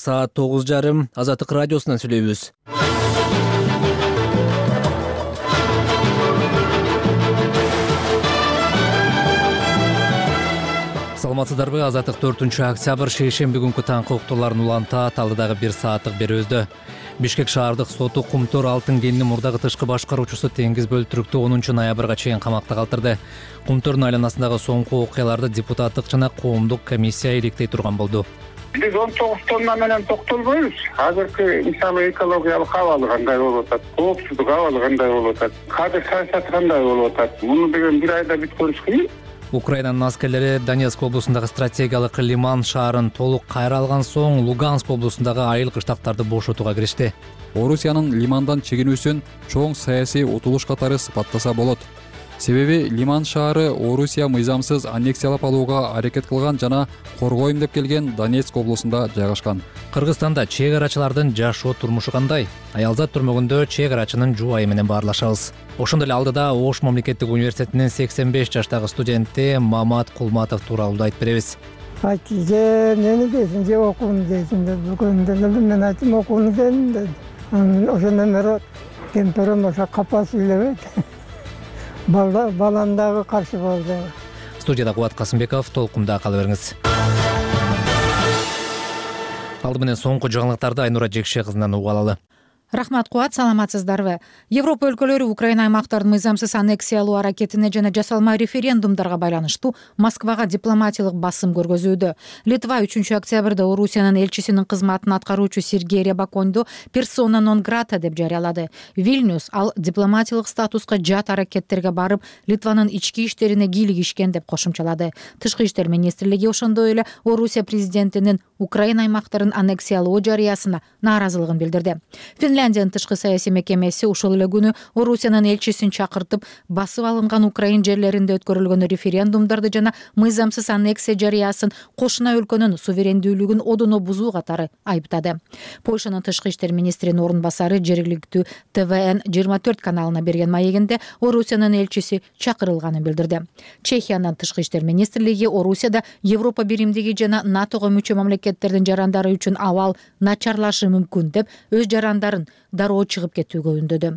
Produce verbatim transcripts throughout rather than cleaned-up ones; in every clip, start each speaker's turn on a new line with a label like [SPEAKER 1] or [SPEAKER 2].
[SPEAKER 1] Саат тогуз жарым Азаттык радиосунан сүйлөйбүз. Саламатсыздарбы? Азаттык төртүнчү октябрь шейшемби күнкү таңкы уктууларын улантат. Алдыдагы бир сааттык берүүбүздө Бишкек шаардык соту Кумтөр Алтын кенинин мурдагы тышкы башкаруучусу Теңиз Бөлтүрүктү онунчу ноябрга чейин камакта калтырды. Кумтөрдүн айланасындагы соңку окуяларды депутаттык жана коомдук комиссия иликтей турган болду.
[SPEAKER 2] Биз он тогуз тонна менен токтолбойбуз. Азыркы мисалы экологиялык абалы кандай болуп атат, коопсуздук абалы кандай болуп атат, кадыр саясаты кандай болуп атат. Муну деген бир айда бүткөнүбүз кыйын.
[SPEAKER 1] Украинанын аскерлери Донецк облусундагы стратегиялык Лиман шаарын толук кайра алган соң Луганск облусундагы айыл кыштактарды бошотууга киришти.
[SPEAKER 3] Орусиянын Лимандан чегинүүсүн чоң саясий утулуш катары сыпаттаса болот. Себеби Лиман шаары Орусия мыйзамсыз аннексиялап алууга аракет кылган жана коргойм деп келген Донецк облусунда жайгашкан.
[SPEAKER 1] Кыргызстанда чек арачылардын жашоо турмушу кандай? Аялзат түрмөгүндө чек арачынын жубайы менен баарлашабыз. Ошондой эле алдыда Ош мамлекеттик университетинин сексен беш жаштагы студенти Мамат Кулматов тууралуу айтып беребиз.
[SPEAKER 4] Айтты, же нени дейсиң, же окууну дейсиң деп бүгүндө мен айттым, окууну дейм деди. Ошондон бери кемперим ошо капа сүйлөбөйт. Бала балам дагы каршы болду.
[SPEAKER 1] Студияда Кубат Касымбеков, толкунда кала бериңиз. Алды менен соңку жаңылыктарды Айнура Жекше кызынан угуп алалы.
[SPEAKER 5] Рахмат, Куат, саламатсыздарбы? Европа өлкөлөрү Украина аймактарын мыйзамсыз аннексиялоо аракетине жана жасалма референдумдарга байланыштуу Москвага дипломатиялык басым көргөзүүдө. Литва үчүнчү октябрда Орусиянын элчисинин кызматын аткаруучу Сергей Рябаконду персона нон грата деп жарыялады. Вильнюс ал дипломатиялык статуска жат аракеттерге барып, Литванын ички иштерине кийлигишкен деп кошумчалады. Тышкы иштер министрлиги ошондой эле Орусия президентинин Украина аймактарын аннексиялоо жарыясына нааразылыгын билдирди. Финляндиянын тышкы саясий мекемеси ошол эле күнү Орусиянын элчисин чакыртып, басып алынган Украин жерлеринде өткөрүлгөн референдумдарды жана мыйзамсыз аннексия жарыясын кошуна өлкөнүн суверендүүлүгүн одоно бузуу катары айыптады. Польшанын тышкы иштер министринин орун басары жергиликтүү Т В Н жыйырма төрт каналына берген маегинде Орусиянын элчиси чакырылганын билдирди. Чехиянын тышкы иштер министрлиги Орусияда Европа биримдиги жана НАТОго мүчө мамлекеттердин жарандары үчүн абал начарлашы мүмкүн деп өз жарандарын дароо чыгып кетүүгө үндөдү.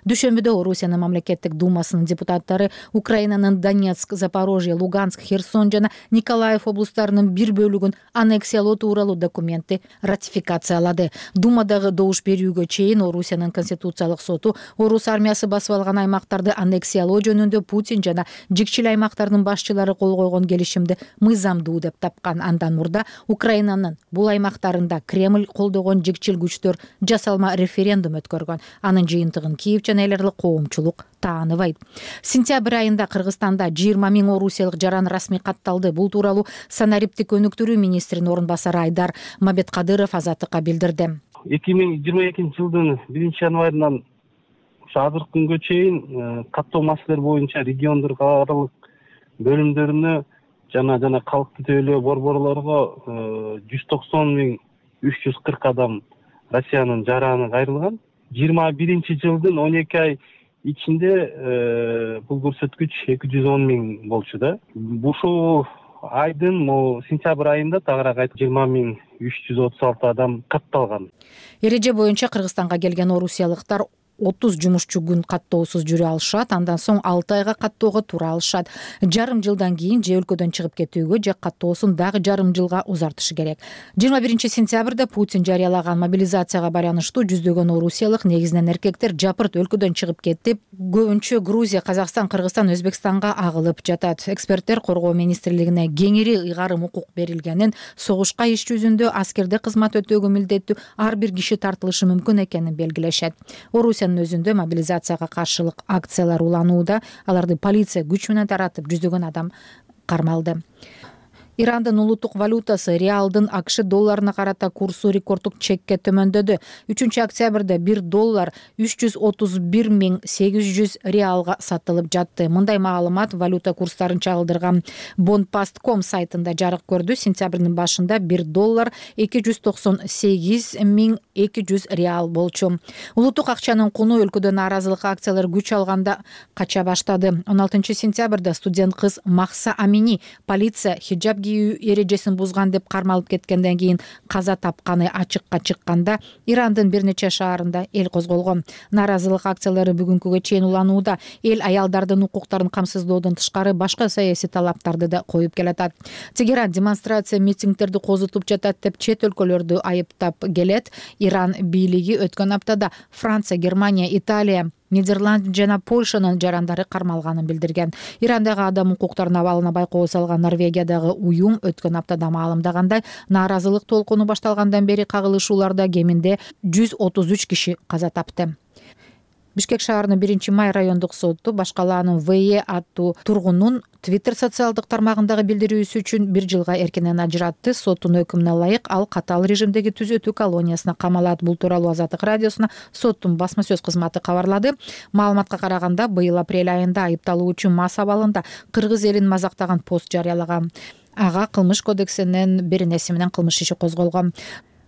[SPEAKER 5] Дүйшөмбүдө Орусиянын мамлекеттик думасынын депутаттары Украинанын Донецк, Запорожье, Луганск, Херсон жана Николаев облустарынын бир бөлүгүн аннексиялоо тууралуу документти ратификациялады. Думадагы добуш берүүгө чейин Орусиянын конституциялык соту Орус армиясы басып алган аймактарды аннексиялоо жөнүндө Путин жана жикчил аймактардын башчылары кол койгон келишимди мыйзамдуу деп тапкан. Андан мурда Украинанын бул аймактарында Кремль колдогон жикчил күчтөр жасалма референдум өткөргөн. Анын жыйынтыгын Киев жана эл аралык коомчулук тааныбайт. Сентябрь айында Кыргызстанда жыйырма миң орусиялык жаран расмий катталды. Бул тууралуу санариптик өнүктүрүү министринин орун басары Айдар Мамбеткадыров Азаттыкка билдирди.
[SPEAKER 6] эки миң жыйырма экинчи жылдын биринчи январынан азыркы күнгө чейин каттоо маселелери боюнча региондор аралык бөлүмдөрүнө жана жана калкты тейлөө борборлорго жүз токсон миң үч жүз кырк адам Россиянын жараны кайрылган. жыйырма биринчи жылдын он эки ай ичинде бул көрсөткүч эки жүз он миң болчу да. Ушул айдын сентябрь айында тагыраак жыйырма миң үч жүз отуз алты адам катталган.
[SPEAKER 5] Эреже боюнча Кыргызстанга келген орусиялыктар отуз жумушчу күн каттоосуз жүрө алышат, андан соң алты айга каттоого тура алышат. Жарым жылдан кийин же өлкөдөн чыгып кетүүгө же каттоосун дагы жарым жылга узартышы керек. жыйырма биринчи сентябрда Путин жарыялаган мобилизацияга байланыштуу жүздөгөн орусиялык, негизинен эркектер жапырт өлкөдөн чыгып кетип, көбүнчө Грузия, Казакстан, Кыргызстан, Өзбекстанга агылып жатат. Эксперттер коргоо министрлигине кеңири ыйгарым укук берилгенин, согушка иш жүзүндө аскерде кызмат өтөөгө милдеттүү ар бир киши тартылышы мүмкүн экенин белгилешет. Орусиянын өзүндө мобилизацияга каршылык акциялар уланууда, аларды полиция күч менен таратып, жүздөгөн адам кармалды. Ирандын улуттук валютасы реалдын АКШ долларына карата курсу рекорддук чекке төмөндөдү. үчүнчү октябрда бир доллар үч жүз отуз бир миң сегиз жүз реалга сатылып жатты. Мындай маалымат валюта курстарын чагылдырган Bondpast точка ком сайтында жарык көрдү. Сентябрдын башында бир доллар эки жүз токсон сегиз миң эки жүз реал болчу. Улуттук акчанын куну өлкөдө нааразылык акциялар күч алганда кача баштады. он алтынчы сентябрда студент кыз Махса Амини полиция хиджаб кийүү эрежесин бузган деп кармалып кеткенден кийин каза тапканы ачыкка чыкканда Ирандын бир нече шаарында эл козголгон. Нааразылык акциялары бүгүнкүгө чейин уланууда. Эл аялдардын укуктарын камсыздоодон тышкары башка саясий талаптарды да коюп келатат. Тегеран демонстрация митингдерди козутуп жатат деп чет өлкөлөрдү айыптап келет. Иран бийлиги өткөн аптада Франция, Германия, Италия, Нидерланд жана Польшанын жарандары кармалганын билдирген. Ирандагы адам укуктарына абалына байкоо салган Норвегиядагы уюм өткөн аптада маалымдагандай, нааразылык толкуну башталгандан бери кагылышууларда кеминде жүз отуз үч киши каза тапты. Бишкек шаарынын биринчи май райондук соту башкалаанын ВЕ аттуу тургунун Twitter социалдык тармагындагы билдирүүсү үчүн бир жылга эркинен ажыратты. Соттун өкүмүнө ылайык ал катаал режимдеги түзөтүү колониясына камалат. Бул тууралуу Азаттык радиосуна соттун басма сөз кызматы кабарлады. Маалыматка караганда, быйыл апрель айында айыпталуучу мас абалында кыргыз элин мазактаган пост жарыялаган. Ага кылмыш кодексинин бир нерсе менен кылмыш иши козголгон.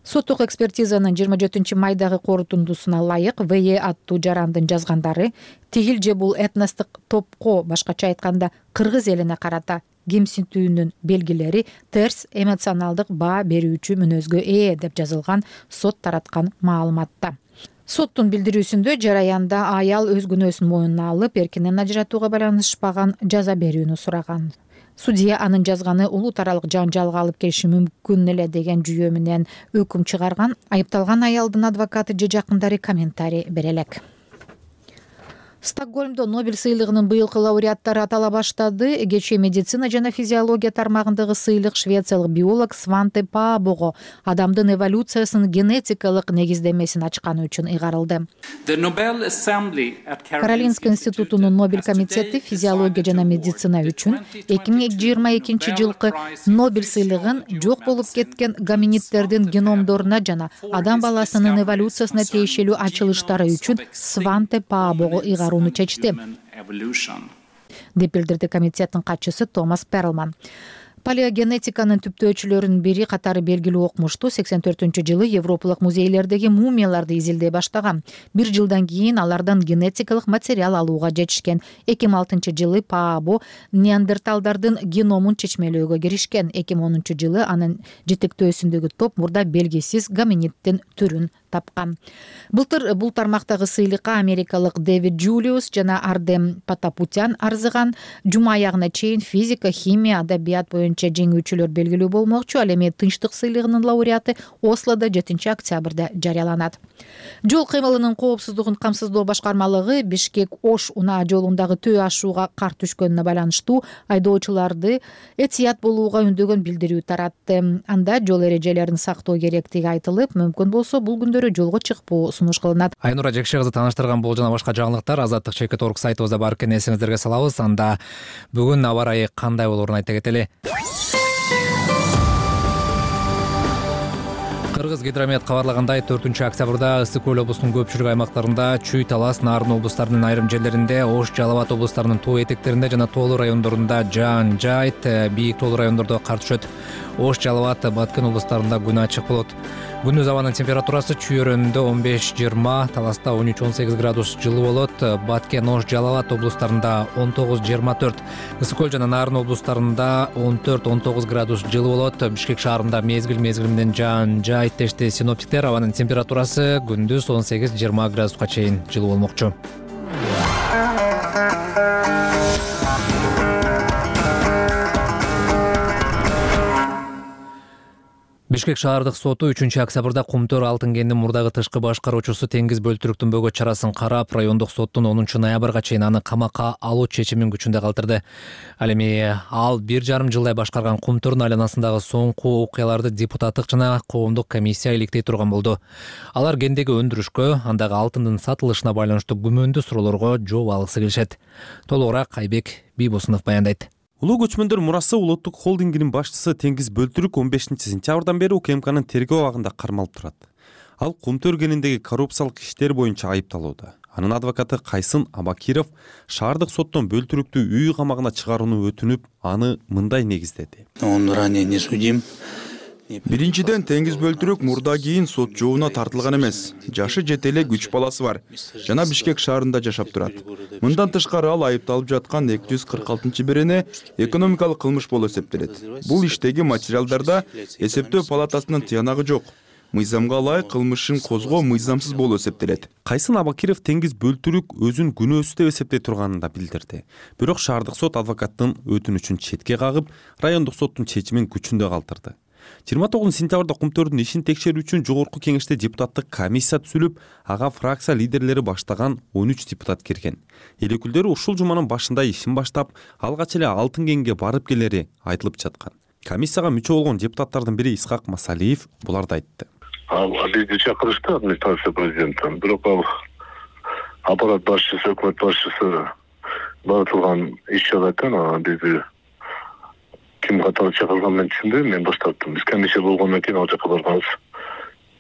[SPEAKER 5] Соттук экспертизанын жыйырма жетинчи майдагы корутундусуна ылайык ВЕ аттуу жарандын жазгандары тигил же бул этностук топко, башкача айтканда кыргыз элине карата кемсинтүүнүн белгилери терс эмоционалдык баа берүүчү мүнөзгө ээ деп жазылган сот тараткан маалыматта. Соттун билдирүүсүндө жараянда аял өз күнөөсүн моюнуна алып, эркинен ажыратууга байланышпаган жаза берүүнү сураган. Судья анын жазганы улут аралык жаңжалга алып келиши мүмкүн эле деген жүйө менен өкүм чыгарган. Айыпталган аялдын адвокаты же жакындары комментарий бере элек. Стокгольмдо Нобель сыйлыгынын быйылкы лауреаттары атала баштады. Кечээ медицина жана физиология тармагындагы сыйлык швециялык биолог Сванте Паабого адамдын эволюциясынын генетикалык негиздемесин ачканы үчүн ыйгарылды. Каролинский институтунун Нобель комитети физиология жана медицина үчүн эки миң жыйырма экинчи жылкы Нобель сыйлыгын жок болуп кеткен гоминидтердин геномдоруна жана адам баласынын эволюциясына тиешелүү ачылыштары үчүн Сванте Паабого ыйгарылды чечти деп билдирди комитеттин катчысы Томас Перлман. Палеогенетиканын түптөөчүлөрүнүн бири катары белгилүү окумуштуу сексен төртүнчү жылы европалык музейлердеги мумияларды изилдей баштаган. Бир жылдан кийин алардан генетикалык материал алууга жетишкен. эки миң алтынчы жылы Паабо неандерталдардын геномун чечмелөөгө киришкен. эки миң онунчу жылы анын жетектөөсүндөгү топ мурда белгисиз гоминиддин түрүн тапкан. Былтыр бул тармактагы сыйлыкка америкалык Дэвид Джулиус жана Ардем Патапутян арзыган. Жума аягына чейин физика, химия, адабият боюнча жеңүүчүлөр белгилүү болмокчу. Ал эми тынчтык сыйлыгынын лауреаты Ослодо жетинчи октябрда жарыяланат. Жол кыймылынын коопсуздугун камсыздоо башкармалыгы Бишкек Ош унаа жолундагы төө ашууга кар түшкөнүнө байланыштуу айдоочуларды этият болууга үндөгөн билдирүү таратты. Анда жол эрежелерин сактоо керектиги айтылып, мүмкүн болсо бул күндөрү жолго чыкпоо сунуш кылынат.
[SPEAKER 1] Айнура Жекше кызы таныштырган бул жана башка жаңылыктар азаттык чекит орг сайтыбызда бар экен, эсиңиздерге салабыз. Анда бүгүн аба ырайы кандай болоорун айта кетели. Кыргыз гидромет кабарлагандай, төртүнчү октябрда Ысык Көл облусунун көпчүлүк аймактарында Чүй, Талас, Нарын облустарынын айрым жерлеринде, Ош, Жалал Абад облустарынын тоо этектеринде жана тоолуу райондорунда жаан жайт, бийик тоолуу райондордо кар түшөт. Ош, Жалал Абад, Баткен облустарында күн ачык болот. Күндүз абанын температурасы Чүй өрөөнүндө он беш жыйырма, Таласта он үч он сегиз градус жылуу болот. Баткен, Ош, Жалал Абад облустарында он тогуз жыйырма төрт, Ысык Көл жана Нарын облустарында он төрт он тогуз градус жылуу болот. Бишкек шаарында мезгил мезгили менен жаан жайт дешти синоптиктер. Абанын температурасы күндүз он сегиз жыйырма градуска чейин жылуу болмокчу. Бишкек шаардык соту үчүнчү октябрда Кумтөр алтын кенинин мурдагы тышкы башкаруучусу Теңиз Бөлтүрүктүн бөгөт чарасын карап, райондук соттун онунчу ноябрга чейин аны камакка алуу чечимин күчүндө калтырды. Ал эми ал бир жарым жылдай башкарган Кумтөрдүн айланасындагы соңку окуяларды депутаттык жана коомдук комиссия иликтей турган болду. Алар кендеги өндүрүшкө, андагы алтындын сатылышына байланыштуу күмөндүү суроолорго жооп алгысы келишет. Толугураак Айбек Бийбосунов баяндайт.
[SPEAKER 7] Улуу көчмөндөр мурасы улуттук холдингинин башчысы Теңиз Бөлтүрүк он бешинчи сентябрдан бери УКМКнын тергөө абагында кармалып турат. Ал Кумтөр кениндеги коррупциялык иштер боюнча айыпталууда. Анын адвокаты Кайсын Абакиров шаардык соттон Бөлтүрүктү үй камагына чыгарууну өтүнүп, аны мындай негиздеди.
[SPEAKER 8] Он ранее не судим. Биринчиден, теңиз бөлтүрүк мурда кийин сот жообуна тартылган эмес. Жашы жете эле үч баласы бар жана Бишкек шаарында жашап турат. Мындан тышкары ал айыпталып жаткан эки жүз кырк алтынчы берене экономикалык кылмыш болуп эсептелет. Бул иштеги материалдарда эсептөө палатасынын тыянагы жок. Мыйзамга ылайык кылмышын козгоо мыйзамсыз болуп эсептелет.
[SPEAKER 7] Кайсын Абакиров теңиз бөлтүрүк өзүн күнөөсүз деп эсептей турганын да билдирди. Бирок шаардык сот адвокаттын өтүнүчүн четке кагып, райондук соттун чечимин күчүндө калтырды. жыйырма тогузунчу сентябрда Кумтөрдүн ишин текшерүү үчүн жогорку кеңеште депутаттык комиссия түзүлүп, ага фракция лидерлери баштаган он үч депутат кирген. Эл өкүлдөрү ушул жуманын башында ишин баштап, алгач эле Алтын кенге барып келери айтылып жаткан. Комиссияга мүчө болгон депутаттардын бири Исхак Масалиев буларды айтты.
[SPEAKER 9] Ал бизди чакырышты администрация президенттен. Бирок ал аппарат башчысы, өкмөт башчысы баратылган иш жагаттан бизди ким катары чакырган мен түшүнбөйм, мен баш тарттым. Биз комиссия болгондон кийин ал жака барганбыз.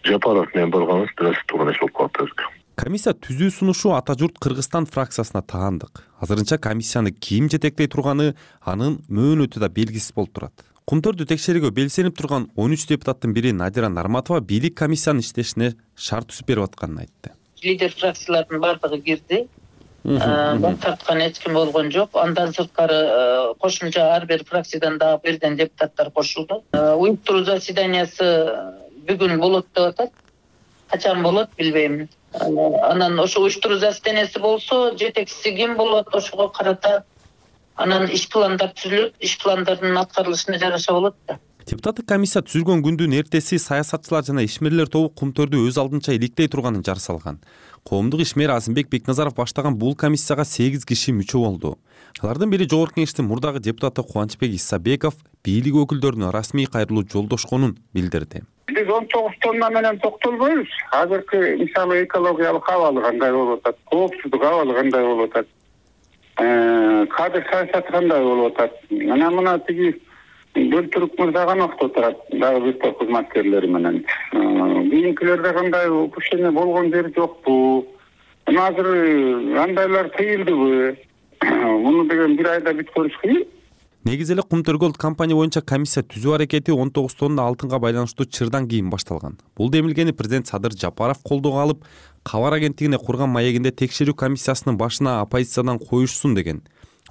[SPEAKER 9] Жапаров менен барганбыз, бираз турган иш болуп калды.
[SPEAKER 7] Комиссия түзүү сунушу Ата журт Кыргызстан фракциясына таандык. Азырынча комиссияны ким жетектей турганы анын мөөнөтү да белгисиз болуп турат. Кумтөрдү текшерүүгө белсенип турган он үч депутаттын бири Надира Нарматова бийлик комиссиянын иштешине шарт түзүп берип атканын айтты.
[SPEAKER 10] Лидер фракциялардын бардыгы кирди. Баш тарткан эч ким болгон жок. Андан сырткары кошумча ар бир фракциядан дагы бирден депутаттар кошулду. Уюштуруу заседаниясы бүгүн болот деп атат. Качан болот билбейм. Анан ошо уюштуруу заседаниясы болсо, жетекчиси ким болот, ошого карата анан иш пландар түзүлөт, иш пландардын аткарылышына жараша болот да.
[SPEAKER 7] Депутаттык комиссия түзүлгөн күндүн эртеси саясатчылар жана ишмерлер тобу Кумтөрдү өз алдынча иликтей турганын жар салган. Коомдук ишмер Азымбек Бекназаров баштаган бул комиссияга сегиз киши мүчө болду. Алардын бири жогорку кеңештин мурдагы депутаты Кубанычбек Исабеков бийлик өкүлдөрүнө расмий кайрылуу жолдошконун билдирди.
[SPEAKER 2] Биз он тогуз тонна менен токтолбойбуз. Азыркы мисалы экологиялык абалы кандай болуп атат, коопсуздук абалы кандай болуп атат, кадр саясаты кандай болуп атат. Анан мына тиги Бөлтүрүк мырза гана турат, дагы бир топ кызматкерлери менен. Кийинкилерде кандай ушуне болгон жери жокпу? Азыр андайлар тыйылдыбы? Муну деген бир айда бүт көрүш кыйын.
[SPEAKER 7] Негизи эле Кумтөр компания боюнча комиссия түзүү аракети он тогуз тонна алтынга байланыштуу чырдан кийин башталган. Бул демилгени президент Садыр Жапаров колдоого алып, кабар агенттигине курган маегинде текшерүү комиссиясынын башына оппозициядан коюшсун деген.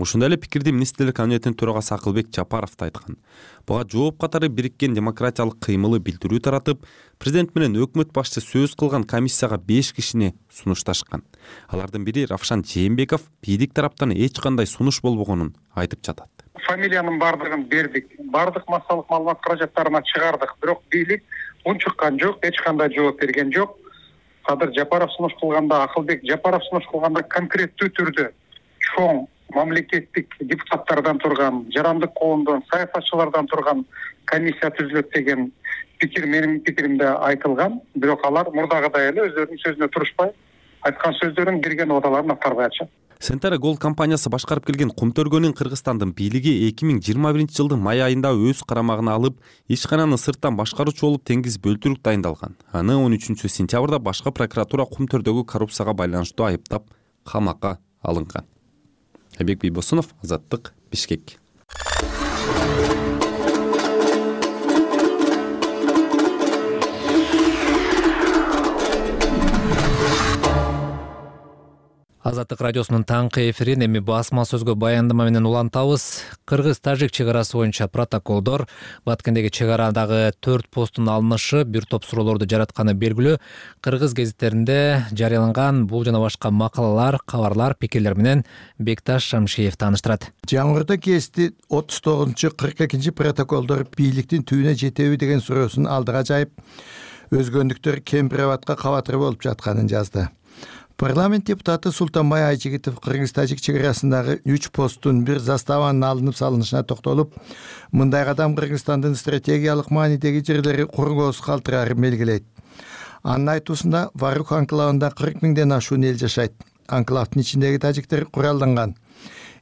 [SPEAKER 7] Ушундай эле пикирди министрлер кабинетинин төрагасы Акылбек Жапаров да айткан. Буга жооп катары бириккен демократиялык кыймылы билдирүү таратып, президент менен өкмөт башчысы сөз кылган комиссияга беш кишини сунушташкан. Алардын бири Равшан Жээнбеков бийлик тараптан эч кандай сунуш болбогонун айтып жатат.
[SPEAKER 11] Фамилиянын бардыгын бердик, бардык массалык маалымат каражаттарына чыгардык, бирок бийлик унчуккан жок, эч кандай жооп берген жок. Садыр Жапаров сунуш кылганда, Акылбек Жапаров сунуш кылганда конкреттүү түрдө чоң мамлекеттик депутаттардан турган, жарандык коомдон, саясатчылардан турган комиссия түзүлөт деген пикир менин пикиримде айтылган. Бирок алар мурдагыдай эле өздөрүнүн сөзүнө турушпай, айткан сөздөрүн берген убадаларын аткарбай атышат.
[SPEAKER 7] Сентара Gold компаниясы башкарып келген Кумтөргөнүн Кыргызстандын бийлиги эки миң жыйырма биринчи жылдын май айында өз карамагына алып, ишкананы сырттан башкаруучу болуп теңиз бөлтүрүк дайындалган. Аны он үчүнчү сентябрда башкы прокуратура Кумтөрдөгү коррупцияга байланыштуу айыптап, камакка алынган. Айбек Бийбосунов, Азаттык, Бишкек.
[SPEAKER 1] Азаттык радиосунун таңкы эфирин эми басма сөзгө баяндама менен улантабыз. Кыргыз-тажик чек арасы боюнча протоколдор, Баткендеги чек арадагы төрт посттун алынышы бир топ суроолорду жаратканы белгилүү. Кыргыз гезиттеринде жарыяланган бул жана башка макалалар, кабарлар, пикирлер менен Бекташ Шамшиев тааныштырат.
[SPEAKER 12] Жаңгырда кести отуз тогузунчу кырк экинчи протоколдор бийликтин түбүнө жетеби деген суроосун алдыга жайып, өзгөндүктөр кемпирабадка кабатыр болуп жатканын жазды. Парламент депутаты Султанбай Айжигитов Кыргыз-тажик чек арасындагы үч посттун бир заставанын алынып салынышына токтолуп, мындай кадам Кыргызстандын стратегиялык маанидеги жерлери коргоосуз калтырарын белгилейт. Анын айтуусунда Варук анклавында кырк миңден ашуун эл жашайт. Анклавдын ичиндеги тажиктер куралданган.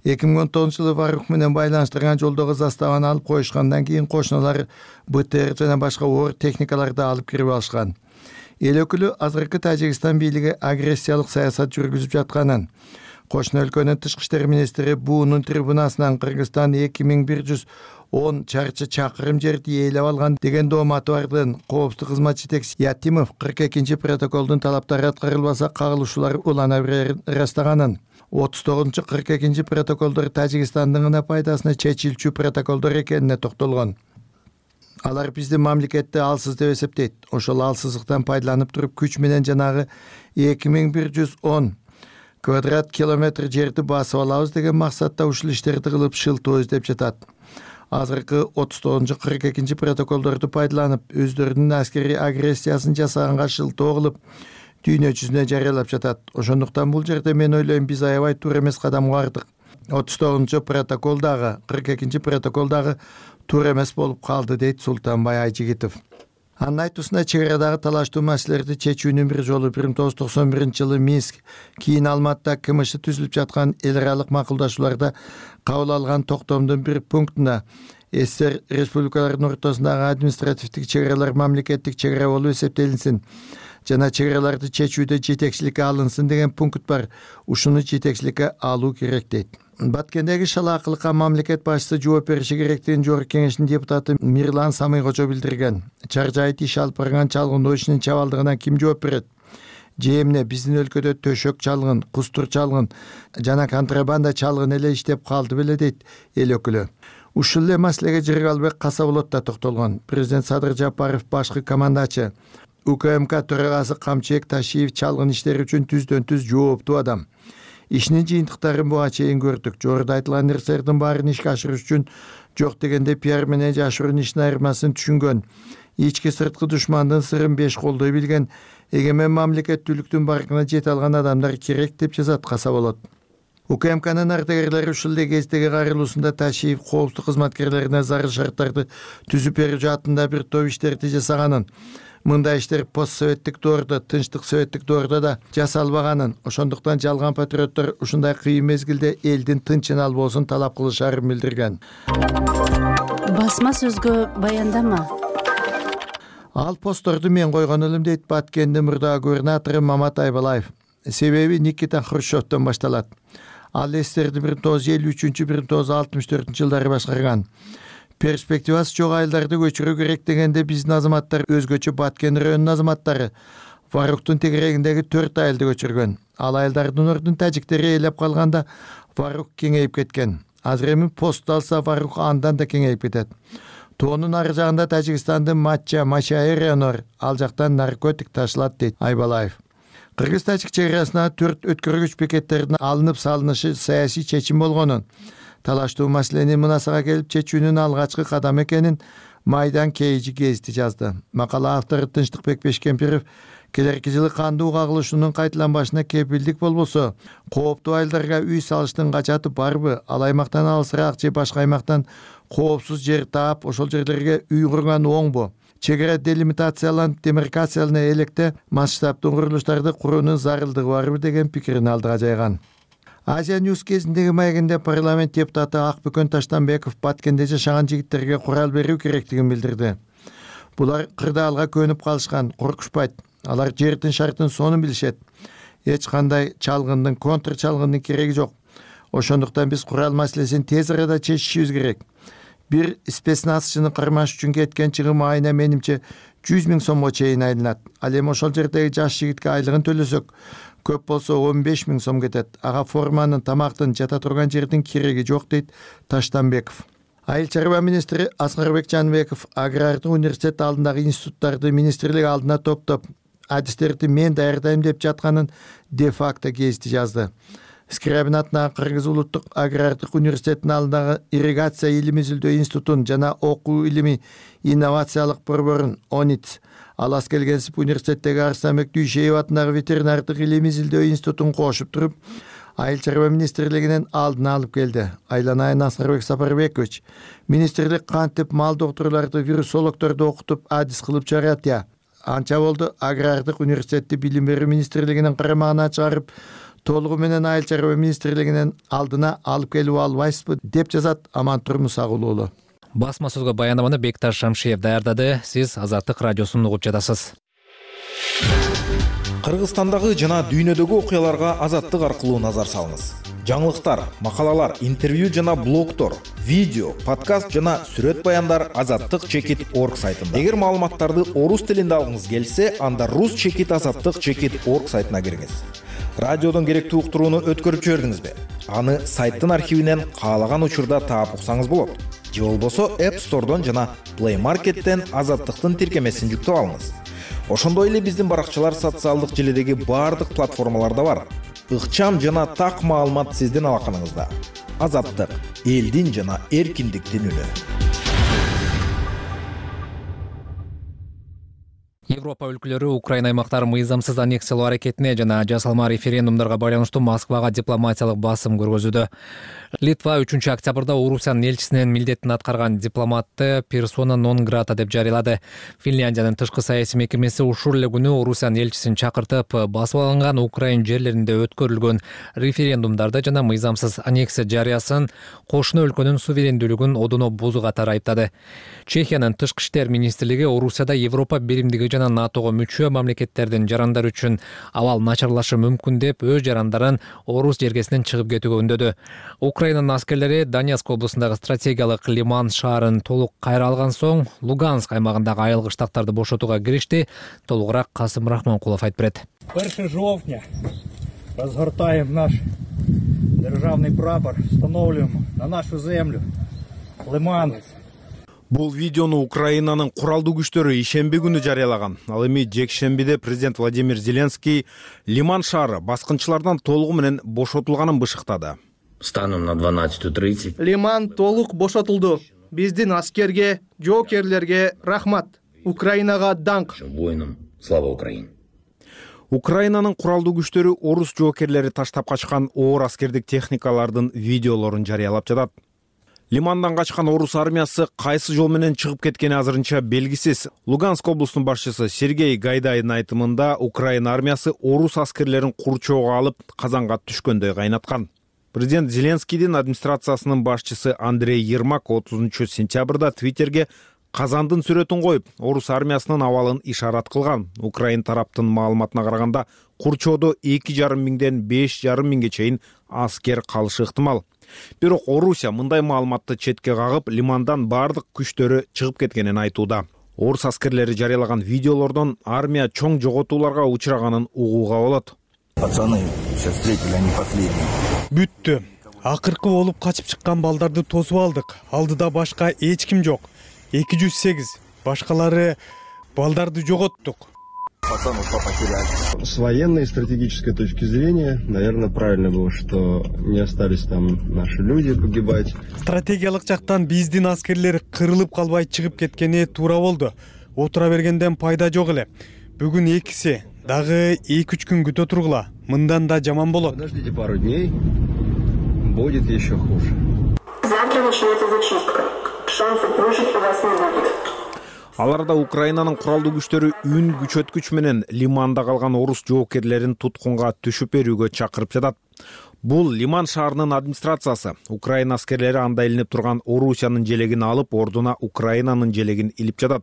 [SPEAKER 12] эки миң он тогузунчу жылы Варук менен байланыштырган жолдогу заставаны алып коюшкандан кийин кошуналар БТР жана башка оор техникаларды алып кирип алышкан. Эл өкүлү азыркы Тажикстан бийлиги агрессиялык саясат жүргүзүп жатканын, Кошуна өлкөнүн тышкы иштер министри буунун трибунасынан Кыргызстан эки миң бир жүз он чарчы чакырым жерди ээлеп алган деген дооматы бардын коопсуздук кызмат жетекчиси Ятимов кырк экинчи протоколдун талаптары аткарылбаса кагылышуулар улана берерин ырастаганын, отуз тогузунчу кырк экинчи протоколдор Тажикстандын гана пайдасына чечилчү протоколдор экенине токтолгон. Алар бизди мамлекетти алсыз деп эсептейт. Ошол алсыздыктан пайдаланып туруп күч менен жанагы эки миң бир жүз он квадрат километр жерди басып алабыз деген максатта ушул иштерди кылып шылтоо издеп жатат. Азыркы отуз тогузунчу кырк экинчи протоколдорду пайдаланып өздөрүнүн аскерий агрессиясын жасаганга шылтоо кылып дүйнө жүзүнө жарыялап жатат. Ошондуктан бул жерде мен ойлойм биз аябай туура эмес кадамга бардык. отуз тогузунчу протокол дагы кырк экинчи протокол дагы туура эмес болуп калды, дейт Султанбай Айжигитов. Анын айтуусунда чек арадагы талаштуу маселелерди чечүүнүн бир жолу бир миң тогуз жүз токсон биринчи жылы Минск, кийин Алматыда КМШ түзүлүп жаткан эл аралык макулдашууларда кабыл алган токтомдун бир пунктуна СССР республикаларынын ортосундагы административдик чек аралар мамлекеттик чек ара болуп эсептелинсин жана чек араларды чечүүдө жетекчиликке алынсын деген пункт бар. Ушуну жетекчиликке алуу керек, дейт. Баткендеги шалаакылыкка мамлекет башчысы жооп бериши керектигин Жогорку Кеңештин депутаты Мирлан Самыйкожо билдирген. Чар жайыт иш алып барган чалгындоо ишинин чабалдыгына ким жооп берет? Же эмне биздин өлкөдө төшөк чалгын, кустур чалгын жана контрабанда чалгын эле иштеп калды беле, дейт эл өкүлү. Ушул эле маселеге Жыргалбек Касаболот да токтолгон. Президент Садыр Жапаров башкы командачы УКМК төрагасы Камчыбек Ташиев чалгын иштери үчүн түздөн түз жооптуу адам. Ишинин жыйынтыктарын буга чейин көрдүк. Жогоруда айтылган нерселердин баарын ишке ашырыш үчүн жок дегенде пиар менен жашыруун ишин айырмасын түшүнгөн, ички сырткы душмандын сырын беш колдой билген, эгемен мамлекеттүүлүктүн баркына жете алган адамдар керек, деп жазат Касаболот. УКМКнын ардагерлери ушул эле кездеги кайрылуусунда Ташиев коопсуздук кызматкерлерине зарыл шарттарды түзүп берүү жаатында бир топ иштерди жасаганын, мындай иштер постсоветтик доордо, тынчтык советтик доордо да жасалбаганын, ошондуктан жалган патриоттор ушундай кыйын мезгилде элдин тынчын албоосун талап кылышарын билдирген.
[SPEAKER 13] Басма сөзгө баяндама.
[SPEAKER 12] Ал постторду мен койгон элем, дейт Баткендин мурдагы губернатору Мамат Айбалаев. Себеби Никита Хрущевдон башталат. Ал эстерди бир миң тогуз жүз элүү үчүнчү бир миң тогуз жүз алтымыш төртүнчү жылдары башкарган. Перспективасы жок айылдарды көчүрүү керек дегенде биздин азаматтар, өзгөчө Баткен районунун азаматтары Варуктун тегерегиндеги төрт айылды көчүргөн. Ал айылдардын ордун тажиктери ээлеп калганда Варук кеңейип кеткен. Азыр эми пост алса Варук андан да кеңейип кетет. Тоонун ары жагында Тажикстандын Матча, Машай району бар. Ал жактан наркотик ташылат, дейт Айбалаев. Кыргыз-тажик чек арасына төрт өткөргүч бекеттердин алынып салынышы саясий чечим болгонун, талаштуу маселени мынасага келип чечүүнүн алгачкы кадамы экенин Майдан Кейжи гезити жазды. Макала автору Тынчтыкбек Бешкемпиров келерки жылы кандуу кагылышуунун кайталанбашына кепилдик болбосо, кооптуу айылдарга үй салыштын качаты барбы? Ал аймактан алысыраак же башка аймактан коопсуз жер таап, ошол жерлерге үй курган оңбу? Чек ара делимитацияланып, демаркациялана электе масштабдуу курулуштарды куруунун зарылдыгы барбы деген пикирин алдыга жайган. Азия Ньюс кезиндеги маегинде парламент депутаты Акбөкөн Таштанбеков Баткенде жашаган жигиттерге курал берүү керектигин билдирди. Булар кырдаалга көнүп калышкан, коркушпайт. Алар жердин шартын сонун билишет. Эч кандай чалгындын, контр чалгындын кереги жок. Ошондуктан биз курал маселесин тез арада чечишибиз керек. Бир спецназчыны кармаш үчүн кеткен чыгым айына менимче жүз миң сомго чейин айланат. Ал эми ошол жердеги жаш жигитке айлыгын төлөсөк, көп болсо он беш миң сом кетет. Ага форманын, тамактын, жата турган жердин кереги жок, дейт Таштанбеков. Айыл чарба министри Аскарбек Жанбеков агрардык университет алдындагы институттарды министрлик алдына топтоп, адистерди мен даярдайм деп жатканын де-факто гезити жазды. Скрябин атынагы Кыргыз улуттук агрардык университетинин алдындагы ирригация илими изилдөө институтун жана окуу илими инновациялык борборун ОНИТ, Алас Келгенсип университеттеги Арыстанбек Дүйшеев атындагы ветеринардык илими изилдөө институтун кошуп туруп, Айыл чарба министрлигинин алдына алып келди. Айланайын Аскарбек Сапарбекович, министрлик кантип мал доктурларды, вирусологдорду окутуп, адис кылып чыгарат я? Анча болду агрардык университетти билим берүү министрлигинин карамагына чыгарып, толугу менен айыл чарба министрлигинин алдына алып келип албайсызбы, деп жазат Амантур Мусагул уулу.
[SPEAKER 1] Басма сөзгө баяндаманы Бекташ Шамшиев даярдады. Сиз Азаттык радиосун угуп жатасыз.
[SPEAKER 14] Кыргызстандагы жана дүйнөдөгү окуяларга Азаттык аркылуу назар салыңыз. Жаңылыктар, макалалар, интервью жана блогтор, видео, подкаст жана сүрөт баяндар азаттык чекит орг сайтында. Эгер маалыматтарды орус тилинде алгыңыз келсе, анда рус чекит азаттык чекит орг сайтына кириңиз. Радиодон керектүү уктурууну өткөрүп жибердиңизби? Аны сайттын архивинен каалаган учурда таап уксаңыз болот. Же болбосо App Store'дон жана Play Market'тен азаттыктын тиркемесин жүктөп алыңыз. Ошондой эле биздин баракчалар социалдык желидеги баардык платформаларда бар. Ыкчам жана так маалымат сиздин алаканыңызда. Азаттык, элдин жана эркиндиктин үнү.
[SPEAKER 1] Европа өлкөлөрү Украина аймактарын мыйзамсыз аннексиялоо аракетине жана жасалма референдумдарга байланыштуу Москвага дипломатиялык басым көргөзүүдө. Литва үчүнчү октябрда Орусиянын элчисинин милдетин аткарган дипломатты персона нон грата деп жарыялады. Финляндиянын тышкы саясий мекемеси ушул эле күнү Орусиянын элчисин чакыртып, басып алынган Украин жерлеринде өткөрүлгөн референдумдарды жана мыйзамсыз аннексия жарыясын кошуна өлкөнүн суверендүүлүгүн одоно бузуу катары айыптады. Чехиянын тышкы иштер министрлиги Орусияда Европа биримдиги жана НАТОго мүчө мамлекеттердин жарандары үчүн абал начарлашы мүмкүн деп өз жарандарын орус жергесинен чыгып кетүүгө үндөдү. Украинанын аскерлери Донецк облусундагы стратегиялык Лиман шаарын толук кайра алган соң Луганск аймагындагы айылгы штаттарды бошотууга киришти. Толугураак Касым Рахманкулов айтып берет.
[SPEAKER 15] первого жовтня разгортаем наш державный прапор, установлюем на нашу землю Лиман.
[SPEAKER 14] Бул видеону Украинанын куралдуу күчтөрү ишемби күнү жарыялаган. Ал эми жекшембиде президент Владимир Зеленский Лиман шаары баскынчылардан толугу менен бошотулганын бышыктады.
[SPEAKER 16] Станом на двенадцать тридцать.
[SPEAKER 17] Лиман толук бошотулду. Биздин аскерге, жоокерлерге рахмат. Украинага даңк.
[SPEAKER 16] Воинам слава Украине.
[SPEAKER 14] Украинанын куралдуу күчтөрү орус жоокерлери таштап качкан оор аскердик техникалардын видеолорун жарыялап жатат. Лимандан качкан орус армиясы кайсы жол менен чыгып кеткени азырынча белгисиз. Луганск облусунун башчысы Сергей Гайдайдын айтымында Украина армиясы орус аскерлерин курчоого алып казанга түшкөндөй кайнаткан. Президент Зеленскийдин администрациясынын башчысы Андрей Ермак отузунчу сентябрда Твиттерге казандын сүрөтүн коюп, орус армиясынын абалын ишарат кылган. Украин тараптын маалыматына караганда, курчоодо эки жарым миңден беш жарым миңге чейин аскер калышы ыктымал. Бирок Орусия мындай маалыматты четке кагып, Лимандан бардык күчтөрү чыгып кеткенин айтууда. Орус аскерлери жарыялаган видеолордон армия чоң жоготууларга учраганын угууга болот.
[SPEAKER 18] Пацаны, сейчас встретили, они последние.
[SPEAKER 19] Бүттү. Акыркы болуп качып чыккан балдарды тосуп алдык. Алдыда башка эч ким жок. эки жүз сегиз. Башкалары балдарды жоготтук.
[SPEAKER 20] С военной и стратегической точки зрения, наверное, правильно было, что не остались там наши люди погибать.
[SPEAKER 19] Стратегиялык жактан биздин аскерлер кырылып калбай чыгып кеткени туура болду. Отура бергенден пайда жок эле. Бүгүн экиси дагы эки үч күн күтө тургула. Мындан да жаман болот.
[SPEAKER 20] Подождите пару дней, будет еще хуже.
[SPEAKER 21] Завтра начнется зачистка. Шансов выжить у вас не будет.
[SPEAKER 14] Аларда Украинанын куралдуу күчтөрү үн күчөткүч менен Лиманда калган орус жоокерлерин туткунга түшүп берүүгө чакырып жатат. Бул Лиман шаарынын администрациясы. Украина аскерлери анда илинип турган Орусиянын желегин алып, ордуна Украинанын желегин илип жатат.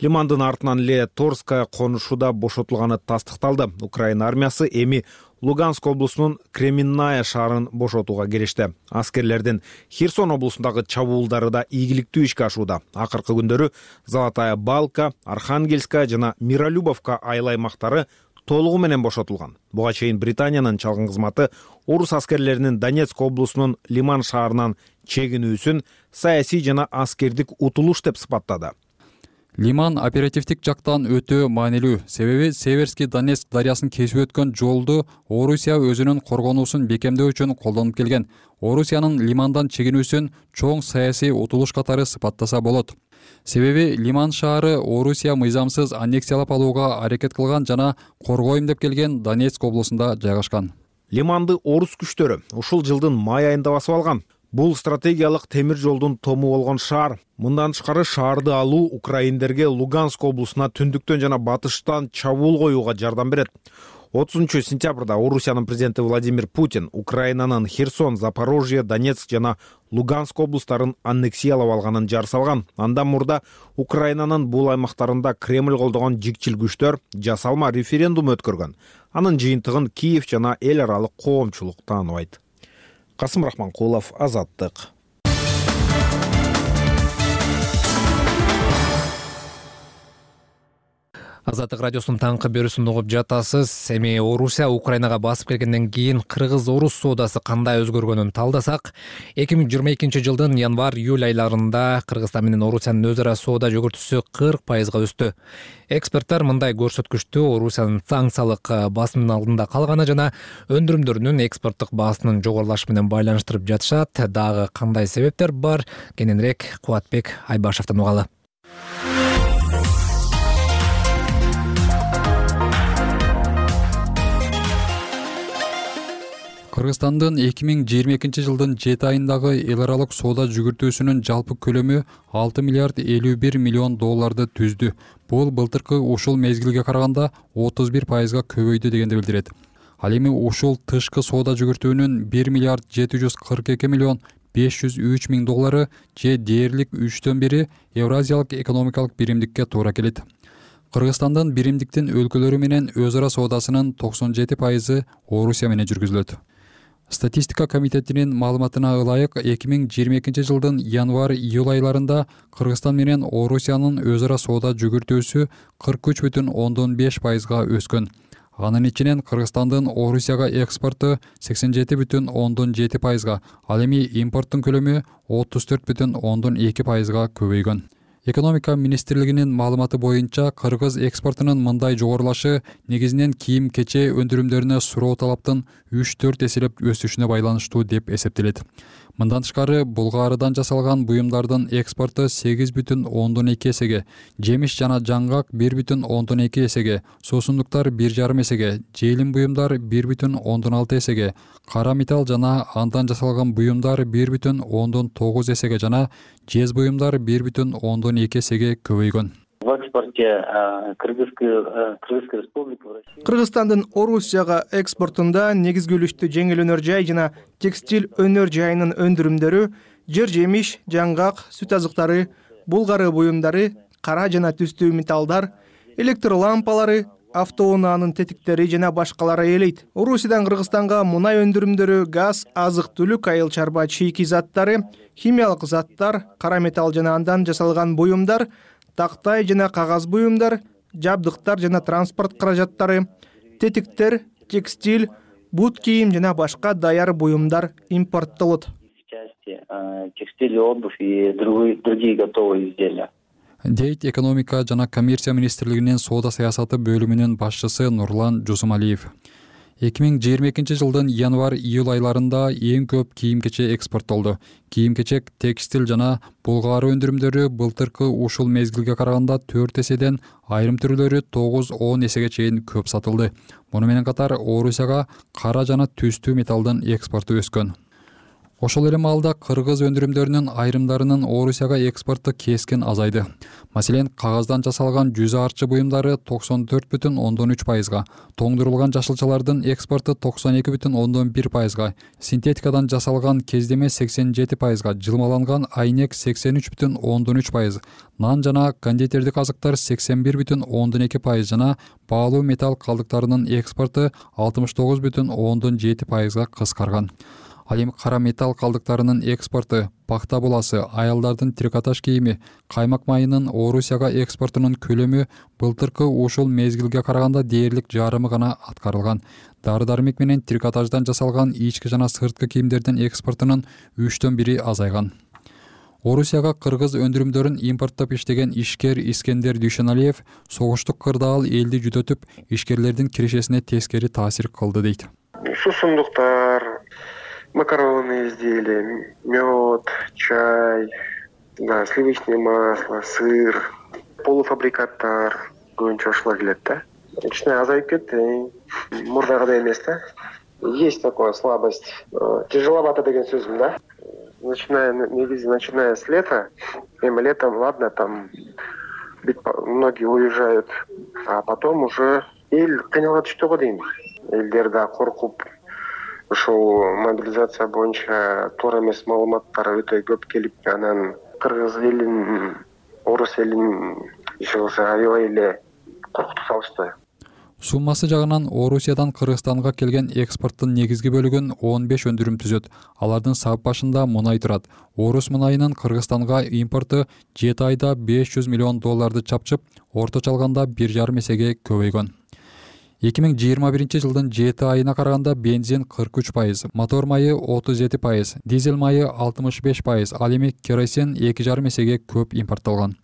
[SPEAKER 14] Лимандын артынан эле Торская конушуда бошотулганы тастыкталды. Украина армиясы эми Луганск облусунун Кременная шаарын бошотууга киришти. Аскерлердин Херсон облусундагы чабуулдары да ийгиликтүү ишке ашууда. Акыркы күндөрү Золотая Балка, Архангельская жана Миролюбовка айыл аймактары толугу менен бошотулган. Буга чейин Британиянын чалгын кызматы орус аскерлеринин Донецк облусунун Лиман шаарынан чегинүүсүн саясий жана аскердик утулуш деп сыпаттады.
[SPEAKER 3] Лиман оперативдик жактан өтө маанилүү. Себеби Северский Донецк дарыясын кесип өткөн жолду Орусия өзүнүн коргонуусун бекемдөө үчүн колдонуп келген. Орусиянын Лимандан чегинүүсүн чоң саясий утулуш катары сыпаттаса болот. Себеби Лиман шаары Орусия мыйзамсыз аннексиялап алууга аракет кылган жана коргойм деп келген Донецк облусунда жайгашкан.
[SPEAKER 14] Лиманды орус күчтөрү ушул жылдын май айында басып алган. Бул стратегиялык темир жолдун тому болгон шаар. Мындан тышкары шаарды алуу украиндерге Луганск облусуна түндүктөн жана батыштан чабуул коюуга жардам берет. отузунчу сентябрда Орусиянын президенти Владимир Путин Украинанын Херсон, Запорожье, Донецк жана Луганск облустарын аннексиялап алганын жар салган. Андан мурда Украинанын бул аймактарында Кремль колдогон жикчил күчтөр жасалма референдум өткөргөн. Анын жыйынтыгын Киев жана эл аралык коомчулук тааныбайт. Касым Рахманкулов, Азаттык.
[SPEAKER 1] Азаттык радиосунун таңкы берүүсүн угуп жатасыз. Эми Орусия Украинага басып келгенден кийин кыргыз-орус соодасы кандай өзгөргөнүн талдасак, эки миң жыйырма экинчи жылдын январь-июль айларында Кыргызстан менен Орусиянын өз ара соода жүгүртүүсү кырк пайызга өстү. Эксперттер мындай көрсөткүчтү Орусиянын санкциялык басымдын алдында калганы жана өндүрүмдөрүнүн экспорттук баасынын жогорулашы менен байланыштырып жатышат. Дагы кандай себептер бар? Кененирээк Кубатбек Айбашевден угалы.
[SPEAKER 3] Кыргызстандын эки миң жыйырма экинчи жылдын жети айындагы эл аралык соода жүгүртүүсүнүн жалпы көлөмү алты миллиард элүү бир миллион долларды түздү. Бул былтыркы ушул мезгилге караганда отуз бир пайызга көбөйдү дегенди билдирет. Ал эми ушул тышкы соода жүгүртүүнүн бир миллиард жети жүз кырк эки миллион беш жүз үч миң доллары же дээрлик үчтөн бири Евразиялык экономикалык биримдикке туура келет. Кыргызстандын биримдиктин өлкөлөрү менен өз ара соодасынын токсон жети пайызы Орусия менен жүргүзүлөт. Статистика комитетинин маалыматына ылайык, эки миң жыйырма экинчи жылдын январь-июль айларында Кыргызстан менен Орусиянын өз ара соода жүгүртүүсү кырк үч бүтүн ондон беш пайызга өскөн. Анын ичинен Кыргызстандын Орусияга экспорту сексен жети бүтүн ондон жети пайызга, ал эми импорттун көлөмү отуз төрт бүтүн ондон эки пайызга көбөйгөн. Экономика министрлигинин маалыматы боюнча, кыргыз экспортунун мындай жогорулашы негизинен кийим-кече өндүрүмдөрүнө суроо талаптын үч төрт эселеп өсүшүнө байланыштуу деп эсептелет. Мындан тышкары, булгаарыдан жасалган буюмдардын экспорту сегиз бүтүн ондон эки эсеге, жемиш жана жаңгак бир бүтүн ондон эки эсеге, суусундуктар бир жарым эсеге, желим буюмдар бир бүтүн ондон алты эсеге, кара металл жана андан жасалган буюмдар бир бүтүн ондон тогуз эсеге жана жез буюмдар бир бүтүн ондон эки эсеге көбөйгөн.
[SPEAKER 4] В экспорте Кыргызской республики
[SPEAKER 17] Кыргызстандын Орусияга экспортунда негизги үлүштү жеңил өнөр жай жана текстиль өнөр жайынын өндүрүмдөрү, жер жемиш, жаңгак, сүт азыктары, булгары буюмдары, кара жана түстүү металлдар, электр лампалары, автоунаанын тетиктери жана башкалары ээлейт. Орусиядан Кыргызстанга мунай өндүрүмдөрү, газ, азык-түлүк, айыл чарба чийки заттары, химиялык заттар, кара металл жана андан жасалган буюмдар, тактай жана кагаз буюмдар, жабдыктар жана транспорт каражаттары, тетиктер, текстиль, бут кийим жана башка даяр буюмдар импорттолот.
[SPEAKER 4] Текстиль, обувь и другие готовые изделия.
[SPEAKER 3] Дейт экономика жана коммерция министрлигинин соода саясаты бөлүмүнүн башчысы Нурлан Жусумалиев. эки миң жыйырма экинчи жылдын январь-июль айларында эң көп кийим-кече экспорттолду. Кийим-кечек, текстиль жана булгаары өндүрүмдөрү былтыркы ушул мезгилге караганда төрт эседен, айрым түрлөрү тогуз он эсеге чейин көп сатылды. Муну менен катар Орусияга кара жана түстүү металлдын экспорту өскөн. Ошол эле маалда кыргыз өндүрүмдөрүнүн айрымдарынын Орусияга экспорту кескен азайды. Маселен, кагаздан жасалган жүз арчы буюмдары токсон төрт бүтүн ондон үч пайызга, тоңдурулган жашылчалардын экспорту токсон эки бүтүн ондон бир пайызга, синтетикадан жасалган кездеме сексен жети пайызга, жылмаланган айнек сексен үч бүтүн ондон үч пайыз, нан жана кондитердик азыктар сексен бир бүтүн ондон эки пайыз жана баалуу металл калдыктарынын экспорту алтымыш тогуз бүтүн ондон жети пайызга кыскарган. Ал эми кара металл калдыктарынын экспорту, пахта буласы, аялдардын трикотаж кийими, каймак майынын Орусияга экспортунун көлөмү былтыркы ушул мезгилге караганда дээрлик жарымы гана аткарылган. Дары-дармек менен трикотаждан жасалган ички жана сырткы кийимдердин экспортунун үчтөн бири азайган. Орусияга кыргыз өндүрүмдөрүн импорттоп иштеген ишкер Искендер Дүйшөналиев согуштук кырдаал элди жүдөтүп, ишкерлердин кирешесине тескери таасир кылды дейт.
[SPEAKER 22] Суусундуктар, макаронные изделия, мед, чай, да, сливочное масло, сыр, полуфабрикаттар көбүнчө ошолор келет да. Кичине азайып кетти, мурдагыдай эмес да. Есть такая слабость. Тяжеловато деген сөзүм да. Начиная, негизи, начиная с лета, эми летом, ладно, там многие уезжают, а потом уже эл кыйналга түштү го дейм. Элдер да коркуп, ушул мобилизация боюнча туура эмес маалыматтар өтө көп келип, анан кыргыз элин, орус элин иши кылса аябай эле коркутуп салышты.
[SPEAKER 3] Суммасы жагынан Орусиядан Кыргызстанга келген экспорттун негизги бөлүгүн он беш өндүрүм түзөт. Алардын сап башында мунай турат. Орус мунайынын Кыргызстанга импорту жети айда беш жүз миллион долларды чапчып, орточо алганда бир жарым эсеге көбөйгөн. эки миң жыйырма биринчи жылдын жети айына караганда бензин кырк үч пайыз, мотор майы отуз жети пайыз, дизель майы алтымыш беш пайыз, ал эми керосин эки жарым эсеге көп импорттолгон.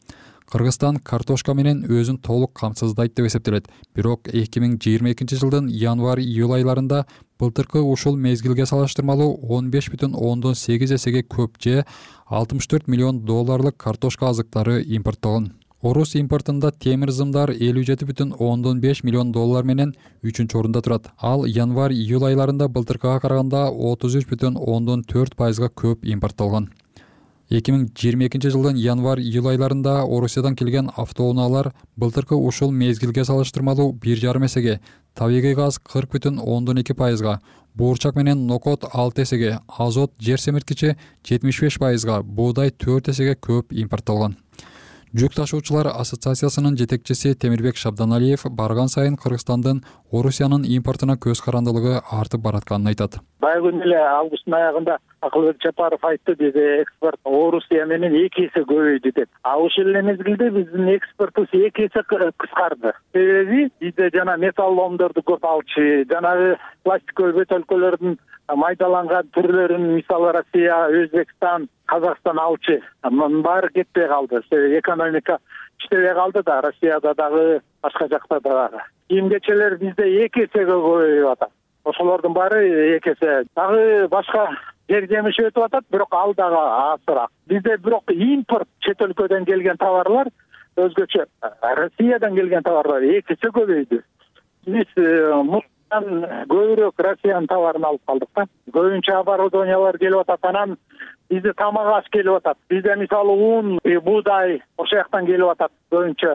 [SPEAKER 3] Кыргызстан картошка менен өзүн толук камсыздайт деп эсептелет. Бирок эки миң жыйырма экинчи жылдын январь-июль айларында былтыркы ушул мезгилге салыштырмалуу он беш бүтүн ондон сегиз эсеге көп же алтымыш төрт миллион долларлык картошка азыктары импорттолгон. Орус импортунда темир зымдар элүү жети бүтүн ондон беш миллион доллар менен үчүнчү орунда турат. Ал январь-июль айларында былтыркыга караганда отуз үч бүтүн ондон төрт пайызга көп импорттолгон. эки миң жыйырма экинчи жылдын январь-июль айларында Орусиядан келген автоунаалар былтыркы ушул мезгилге салыштырмалуу бир жарым эсеге, табигый газ кырк бүтүн ондон эки пайызга, буурчак менен нокот алты эсеге, азот жер семирткичи жетимиш беш пайызга, буудай төрт эсеге көп импорттолгон. Жүк ташуучулар ассоциациясынын жетекчиси Темирбек Шабданалиев барган сайын Кыргызстандын Орусиянын импортуна көз карандылыгы артып баратканын айтат.
[SPEAKER 5] Баягы күнү эле августтун аягында Акылбек Жапаров айтты, биздин экспорт Орусия менен эки эсе көбөйдү деп. А ошол эле мезгилде биздин экспортубуз эки эсе кыскарды. Себеби бизде жана металл ломдорду көп алчу, жанагы пластиковый бөтөлкөлөрдүн майдаланган түрлөрүн мисалы Россия, Өзбекстан, Казакстан алчу. Мунун баары кетпей калды. Экономика иштебей калды да, Россияда дагы, башка жакта дагы. Кийим кечелер бизде эки эсеге көбөйүп атат. Ошолордун баары эки эсе. Дагы башка жер жемиш өтүп атат, бирок ал дагы азыраак. Бизде бирок импорт чет өлкөдөн келген товарлар өзгөчө. Россиядан келген товарлар эки эсе көбөйдү. Биз көбүрөөк Россиянын товарын алып калдык да. Көбүнчө оборудованиялар келип атат, анан бизде тамак аш келип атат. Бизде мисалы ун, буудай ошол жактан келип атат көбүнчө.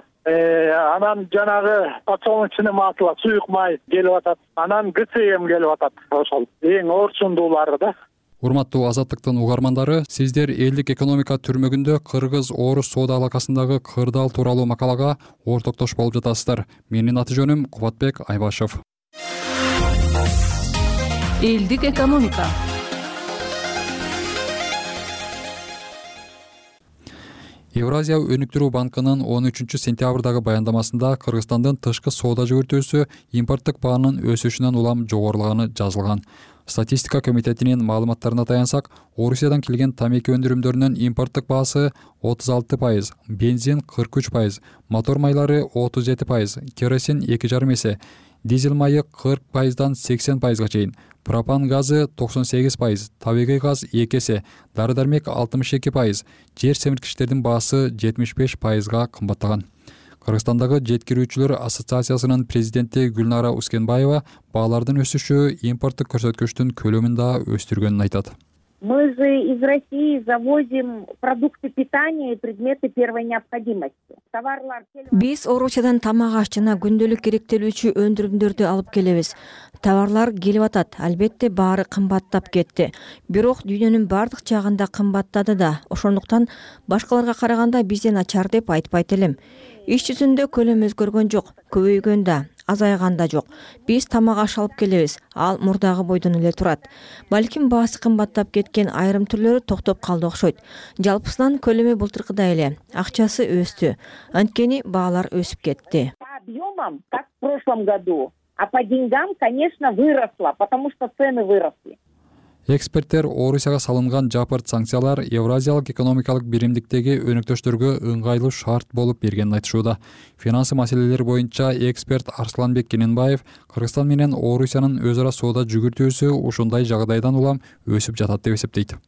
[SPEAKER 5] Анан жанагы подсолнечный масло, суюк май келип атат. Анан ГЦМ келип атат. Ошол эң орчундуулары да.
[SPEAKER 3] Урматтуу Азаттыктын угармандары, сиздер элдик экономика түрмөгүндө Кыргыз-Орус соода алакасындагы кырдаал тууралуу макалага ортоктош болуп жатасыздар. Менин аты жөнүм Кубатбек Айбашев.
[SPEAKER 13] Элдик экономика.
[SPEAKER 3] Евразия өнүктүрүү банкынын он үчүнчү сентябрдагы баяндамасында Кыргызстандын тышкы соода жүгүртүүсү импорттук баанын өсүшүнөн улам жогорулаганы жазылган. Статистика комитетинин маалыматтарына таянсак, Орусиядан келген тамеки өндүрүмдөрүнүн импорттук баасы отуз алты пайыз, бензин кырк үч пайыз, мотор майлары отуз жети пайыз, керосин эки жарым эсе, дизель майы кырк пайыздан сексен пайызга чейин, пропан газы токсон сегиз пайыз, табигый газ эки эсе, дары-дармек алтымыш эки пайыз, жер семирткичтердин баасы жетимиш беш пайызга кымбаттаган. Кыргызстандагы жеткирүүчүлөр ассоциациясынын президенти Гүлнара Ускенбаева баалардын өсүшү импорттук көрсөткүчтүн көлөмүн да өстүргөнүн айтат.
[SPEAKER 6] Мы же из России завозим продукты питания и предметы первой необходимости. Товарлар
[SPEAKER 23] Биз Орусиядан тамак аш жана күндөлүк керектелүүчү өндүрүмдөрдү алып келебиз. Товарлар келип атат, албетте баары кымбаттап кетти. Бирок дүйнөнүн бардык жагында кымбаттады да. Ошондуктан башкаларга караганда бизден начар деп айтпайт элем. Иш жүзүндө көлөм өзгөргөн жок, көбөйгөн да, азайган да жок. Биз тамак аш алып келебиз, ал мурдагы бойдон эле турат. Балким баасы кымбаттап кеткен айрым түрлөрү токтоп калды окшойт. Жалпысынан көлөмү былтыркыдай эле, акчасы өстү. Анткени баалар өсүп кетти.
[SPEAKER 6] По объемам, как в прошлом году, а по деньгам, конечно, выросла, потому что цены выросли.
[SPEAKER 3] Эксперттер Орусияга салынган жапырт санкциялар Евразиялык экономикалык биримдиктеги өнөктөштөргө ыңгайлуу шарт болуп бергенин айтышууда. Финансы маселелери боюнча эксперт Арсланбек Кененбаев Кыргызстан менен Орусиянын өз ара соода жүгүртүүсү ушундай жагдайдан улам өсүп жатат деп эсептейт.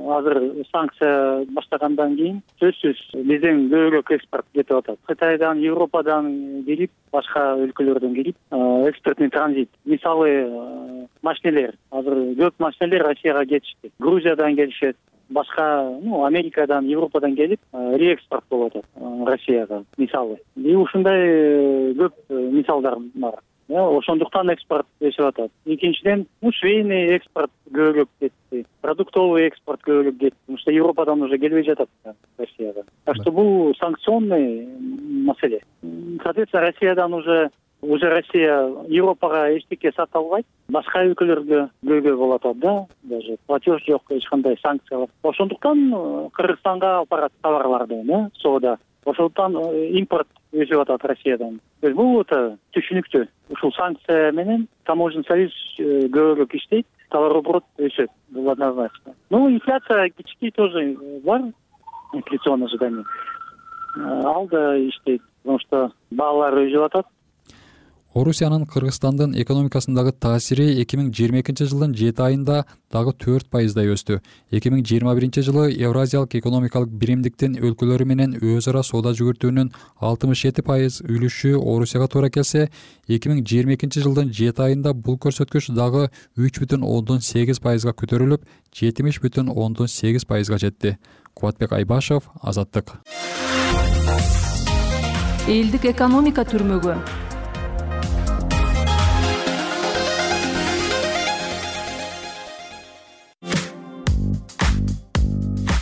[SPEAKER 5] Азыр санкция баштагандан кийин сөзсүз бизден көбүрөөк экспорт кетип атат. Кытайдан, Европадан келип, башка өлкөлөрдөн келип, экспортный транзит. Мисалы, машинелер, азыр көп машинелер Россияга кетишти. Грузиядан келишет, башка, ну, Америкадан, Европадан келип, реэкспорт болуп атат Россияга, мисалы. И ушундай көп мисалдар бар. ошондуктан экспорт өсүп атат. Экинчиден, ну, швейный экспорт көбүрөөк кетти, продуктовый экспорт көбүрөөк кетти, потому что Европадан уже келбей жатат Россияга. Так что бул санкционный маселе. Соответственно, Россиядан уже уже Россия Европага эчтеке сата албайт, башка өлкөлөргө көйгөй болуп атат да, даже платеж жок, эч кандай санкциялар. Ошондуктан Кыргызстанга алып барат товарларды, да, соода. Ошондуктан импорт өсүп атат Россиядан. Бул өтө түшүнүктүү. Ушул санкция менен таможенный союз көбүрөөк иштейт, товарооборот өсөт. Бул однозначно. Ну, инфляция кичикей тоже бар, инфляционное ожидание. Ал да иштейт, потому что баалар өсүп атат.
[SPEAKER 3] Орусиянын Кыргызстандын экономикасындагы таасири эки миң жыйырма экинчи жылдын жети айында дагы төрт пайыздай өстү. эки миң жыйырма биринчи жылы Евразиялык экономикалык биримдиктин өлкөлөрү менен өз ара соода жүгүртүүнүн алтымыш жети пайыз үлүшү Орусияга туура келсе, эки миң жыйырма экинчи жылдын жети айында бул көрсөткүч дагы үч бүтүн ондон сегиз пайызга көтөрүлүп, жетимиш бүтүн ондон сегиз пайызга жетти. Кубатбек Айбашев, Азаттык.
[SPEAKER 13] Элдик экономика түрмөгү.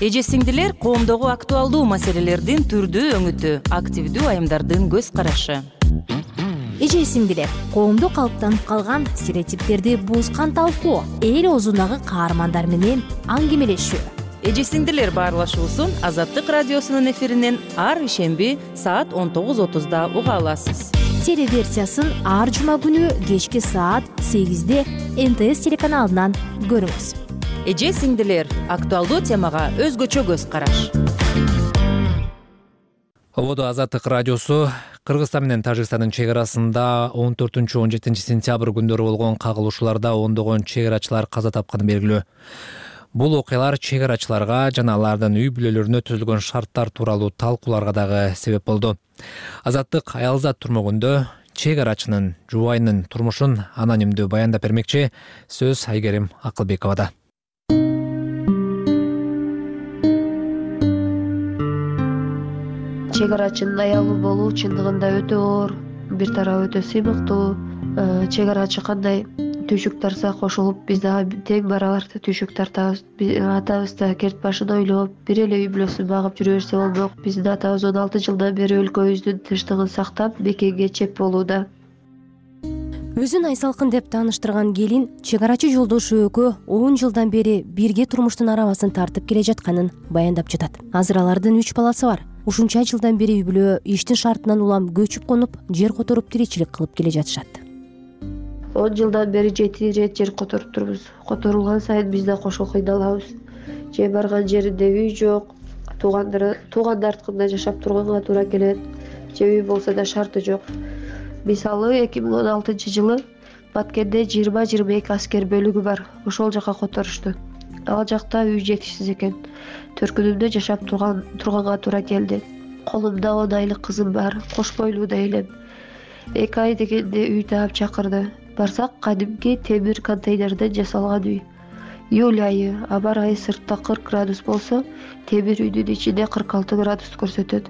[SPEAKER 13] Эже сиңдилер коомдогу актуалдуу маселелердин түрдүү өңүтү, активдүү айымдардын көз карашы.
[SPEAKER 8] Эже сиңдилер, коомдо калыптанып калган стереотиптерди бузган талкуу, эл оозундагы каармандар менен аңгемелешүү.
[SPEAKER 13] Эже сиңдилер баарлашуусун Азаттык радиосунун эфиринен ар ишемби саат он тогуз отузда уга аласыз.
[SPEAKER 8] Телеверсиясын ар жума күнү кечки саат сегизде эн тэ эс телеканалынан көрүңүз.
[SPEAKER 13] Эже сиңдилер, актуалдуу темага өзгөчө көз караш.
[SPEAKER 1] Ободо Азаттык радиосу Кыргызстан менен Тажикстандын чек арасында он төртүнчү он жетинчи сентябрь күндөрү болгон кагылышууларда ондогон чек арачылар каза тапканы белгилүү. Бул окуялар чек арачыларга жана алардын үй бүлөлөрүнө түзүлгөн шарттар тууралуу талкууларга дагы себеп болду. Азаттык аялзат турмөгүндө чек арачынын жубайынын турмушун анонимдүү баяндап бермекчи. Сөз Айгерим Акылбековада.
[SPEAKER 9] Чек арачынын аялы болуу чындыгында өтө оор, бир тарабы өтө сыймыктуу. Чек арачы кандай түйшүк тарса кошулуп, биз дагы тең барабар түйшүк тартабыз. Атабыз да керт башын ойлоп, бир эле үй бүлөсүн багып жүрө берсе болмок. Биздин атабыз он алты жылдан бери өлкөбүздүн тынчтыгын сактап, бекемге чеп болууда.
[SPEAKER 8] Өзүн Айсалкын деп тааныштырган келин чек арачы жолдошу экөө он жылдан бери бирге турмуштун арабасын тартып келе жатканын баяндап жатат. Азыр алардын үч баласы бар. Ушунча жылдан бери үй бүлө иштин шартынан улам көчүп конуп, жер которуп тиричилик кылып келе жатышат.
[SPEAKER 9] он жылдан бери жети ирет жер которуп турбуз. Которулган сайын биз да кошо кыйналабыз. Же барган жеринде үй жок, туугандар туугандарткында жашап турганга туура келет. Же үй болсо да шарты жок. Мисалы эки миң он алтынчы жылы Баткенде жыйырма жыйырма эки аскер бөлүгү бар. Ошол жака которушту. Ал жакта үй жетишсиз экен. Төркүнүмдө жашап турган турганга туура келди. Колумда он айлык кызым бар, кош бойлуу да элем. эки ай дегенде үй таап чакырды. Барсак, кадимки темир контейнерден жасалган үй. Июль айы, абар айы сыртта кырк градус болсо, темир үйдүн ичинде кырк алты градус көрсөтөт.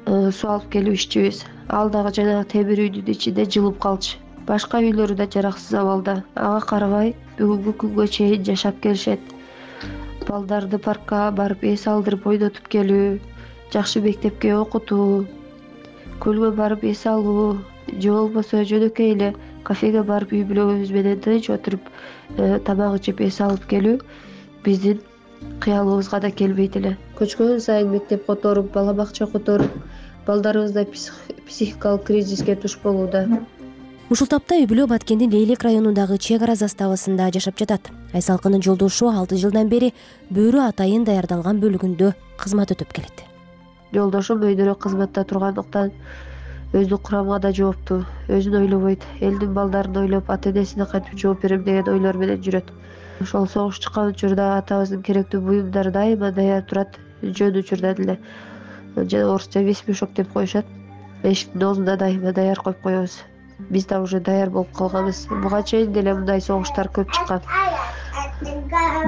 [SPEAKER 9] Суу алып келип иччүбүз. Ал дагы жанагы темир үйдүн ичинде жылып калчу. Башка үйлөрү да жараксыз абалда. Ага карабай, бүгүнкү күнгө чейин жашап келишет. Балдарды паркка барып эс алдырып ойнотуп келүү, жакшы мектепке окутуу, көлгө барып эс алуу, же болбосо жөнөкөй эле кафеге барып үй бүлөбүз менен тынч отуруп тамак ичип эс алып келүү биздин кыялыбызга да келбейт эле. Көчкөн сайын мектеп которуп, бала бакча которуп, балдарыбыз да психикалык кризиске туш болууда.
[SPEAKER 8] Ушул тапта үй бүлө Баткендин Лейлек районундагы чек ара заставасында жашап жатат. Айсалкынын жолдошу алты жылдан бери бөрү атайын даярдалган бөлүгүндө кызмат өтөп келет.
[SPEAKER 9] Жолдошум өйдөрөөк кызматта тургандыктан өзүнүн курамына да жооптуу, өзүн ойлобойт, элдин балдарын ойлоп, ата-энесине кантип жооп берем деген ойлор менен жүрөт. Ошол согуш чыккан учурда атабыздын керектүү буюмдары дайыма даяр турат, жөн учурда эле. Жана орусча весь мешок деп коюшат. Эшиктин оозуна дайыма даяр коюп коебуз. Биз да уже даяр болуп калганбыз. Буга чейин деле мындай согуштар көп чыккан.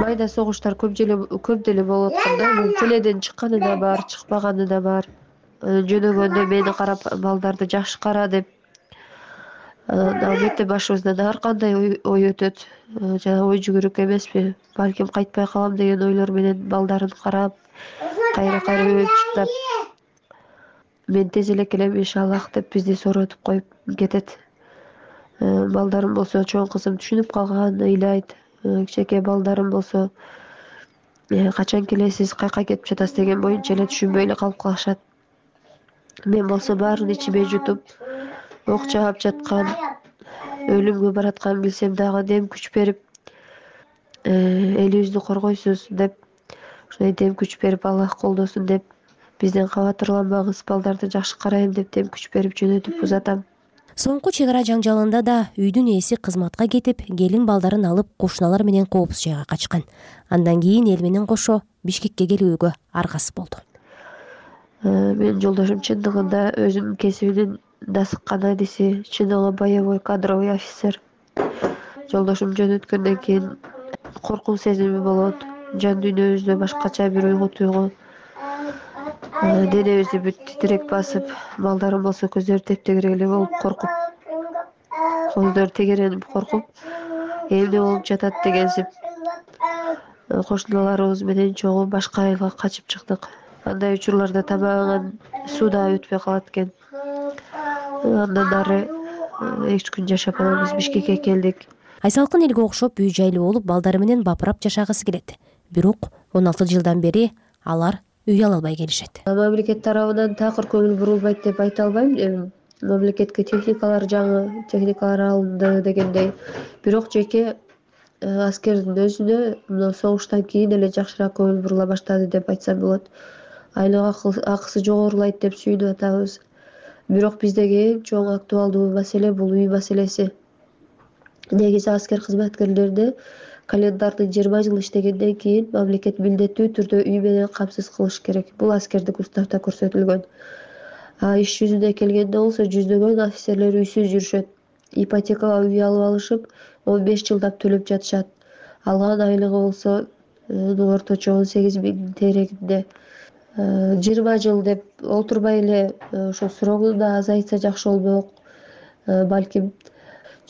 [SPEAKER 9] Майда согуштар көп деле көп деле болуп атканда, бул тиледен чыкканы да бар, чыкпаганы да бар. Жөнөгөндө мени карап, балдарды жакшы кара деп анан албетте башыбыздан ар кандай ой өтөт. Жана ой жүгүрүк эмеспи, балким кайтпай калам деген ойлор менен балдарын карап, кайра кайра өлчүктап мен тез эле келем иншаллах деп бизди сооротуп коюп кетет. Балдарым болсо, чоң кызым түшүнүп калган, ыйлайт. Кичинекей балдарым болсо качан келесиз, каяка кетип жатасыз деген боюнча эле түшүнбөй эле калып калышат. Мен болсо баарын ичиме жутуп, ок жаап жаткан, өлүмгө баратканын билсем дагы дем күч берип, элибизди коргойсуз деп, ошондой дем күч берип, Аллах колдосун деп, бизден кабатырланбаңыз, балдарды жакшы карайын деп дем күч берип жөнөтүп узатам.
[SPEAKER 8] Соңку чек ара жаңжалында да үйдүн ээси кызматка кетип, келин балдарын алып кошуналар менен коопсуз жайга качкан. Андан кийин эл менен кошо Бишкекке келүүгө аргасыз болду. Менин жолдошум чындыгында өзүнүн кесибинин дасыккан адиси, чындыгы боевой кадровый офицер. Жолдошум жөнөткөндөн кийин коркуу сезими болот, жан дүйнөбүздө башкача бир уйгу туйгу, денебизди бүт титирек басып, балдарым болсо көздөрү тептегирек эле болуп коркуп, көздөрү тегеренип коркуп, эмне болуп жатат дегенсип кошуналарыбыз менен чогуу башка айылга качып чыктык. Андай учурларда тамагыңан суу да өтпөй калат экен. Андан ары эки үч күн жашап анан биз Бишкекке келдик. Айсалкын элге окшоп үй жайлуу болуп, балдары менен бапырап жашагысы келет. Бирок он алты жылдан бери алар үй ала албай келишет.
[SPEAKER 9] Мамлекет тарабынан такыр көңүл бурулбайт деп айта албайм. Мамлекетке техникалар жаңы, техникалар алынды дегендей. Бирок жеке аскердин өзүнө мына согуштан кийин эле жакшыраак көңүл бурула баштады деп айтсам болот. Айлык акысы жогорулайт деп сүйүнүп атабыз. Бирок биздеги эң чоң актуалдуу маселе бул үй маселеси. Негизи аскер кызматкерлерди календардын жыйырма жыл иштегенден кийин мамлекет милдеттүү түрдө үй менен камсыз кылыш керек. Бул аскердик уставда көрсөтүлгөн. А иш жүзүнө келгенде болсо жүздөгөн офицерлер үйсүз жүрүшөт. Ипотекага үй алып алышып, он беш жылдап төлөп жатышат. Алган айлыгы болсо орточо он сегиз миң терегинде. жыйырма жыл деп олтурбай эле ошо срогун да азайтса жакшы болмок. Балким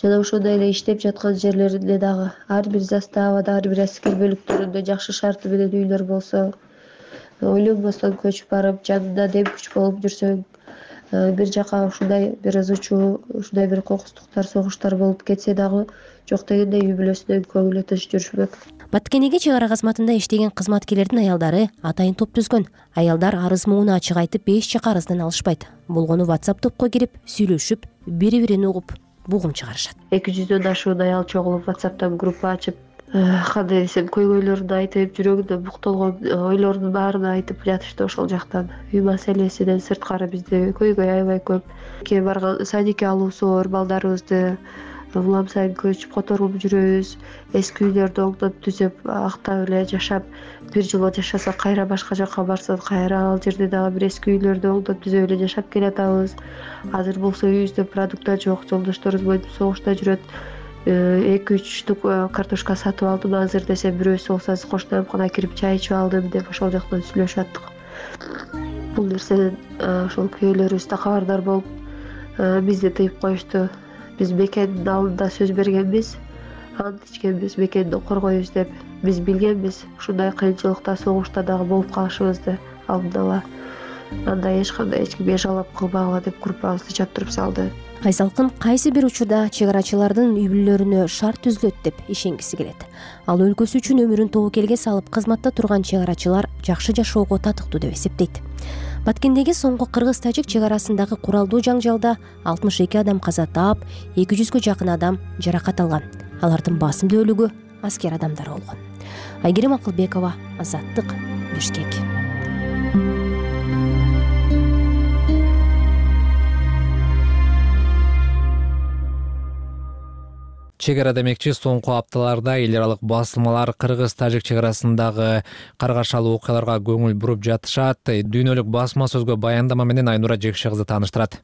[SPEAKER 9] жана ошондой эле иштеп жаткан жерлеринде дагы ар бир заставада, ар бир аскер бөлүктөрүндө жакшы шарты менен үйлөр болсо, ойлонбостон көчүп барып, жанында дем күч болуп жүрсөң, бир жака ушундай бир ызычуу, ушундай бир кокустуктар, согуштар болуп кетсе дагы жок дегенде үй бүлөсүнөн көңүлү тынч жүрүшмөк.
[SPEAKER 8] Баткенеге чек ара кызматында иштеген кызматкерлердин аялдары атайын топ түзгөн. Аялдар арыз мууну ачык айтып, беш жака арыздан алышпайт. Болгону WhatsApp топко кирип, сүйлөшүп, бири-бирин угуп, бугум чыгарышат.
[SPEAKER 9] эки жүздөн ашуун аял чогулуп WhatsApp'тан группа ачып, кандай десем, көйгөйлөрүн айтып, жүрөгүндө буктолгон ойлорунун баарын айтып жатышты ошол жактан. Үй маселесинен сырткары бизде көйгөй аябай көп. Ке барган садикке алуусу бар балдарыбызды улам сайын көчүп которуп жүрөбүз. Эски үйлөрдү оңдоп түзөп, актап эле жашап, бир жыл жашаса кайра башка жакка барса, кайра ал жерде дагы бир эски үйлөрдү оңдоп түзөп эле жашап келатабыз. Азыр болсо үйүбүздө продукт жок, жолдошторубуз моинтип согушта жүрөт. эки үч штук картошка сатып алдым азыр десем, бирөөсү болсо кошунамкана кирип чай ичип алдым деп ошол жактан сүйлөшүп аттык. Бул нерседен ошол күйөөлөрүбүз да кабардар болуп, бизди тыйып коюшту. Биз бекендин алдында сөз бергенбиз, ант ичкенбиз, бекенди коргойбуз деп. Биз билгенбиз ушундай кыйынчылыкта, согушта дагы болуп калышыбызды алдын ала. Андай эч кандай эч ким эжалап кылбагыла деп группабызды чаптырып салды.
[SPEAKER 8] Айсалкын кайсы бир учурда чек арачылардын үй бүлөлөрүнө шарт түзүлөт деп ишенгиси келет. Ал өлкөсү үчүн өмүрүн тобокелге салып кызматта турган чек арачылар жакшы жашоого татыктуу деп эсептейт. Баткендеги соңку кыргыз-тажик чек арасындагы куралдуу жаңжалда алтымыш эки адам каза таап, эки жүзгө жакын адам жаракат алган. Алардын басымдуу бөлүгү аскер адамдар болгон. Айгерим Акылбекова, Азаттык, Бишкек.
[SPEAKER 1] Чек ара демекчи соңку апталарда эл аралык басылмалар кыргыз-тажик чек арасындагы каргашалуу окуяларга көңүл буруп жатышат. Дүйнөлүк басма сөзгө баяндама менен Айнура Жекше кызы тааныштырат.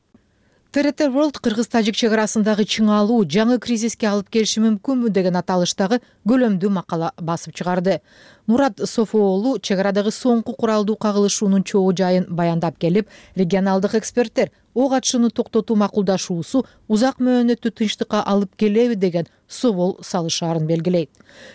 [SPEAKER 2] тэ эр тэ World кыргыз-тажик чек арасындагы чыңалуу жаңы кризиске алып келиши мүмкүнбү деген аталыштагы көлөмдүү макала басып чыгарды. Мурат Софуоğlu чек арадагы соңку куралдуу кагылышуунун чогуу жайын баяндап келип, регионалдык эксперттер ок атышууну токтотуу макулдашуусу узак мөөнөттүү тынчтыкка алып келеби деген собол салышаарын белгилейт.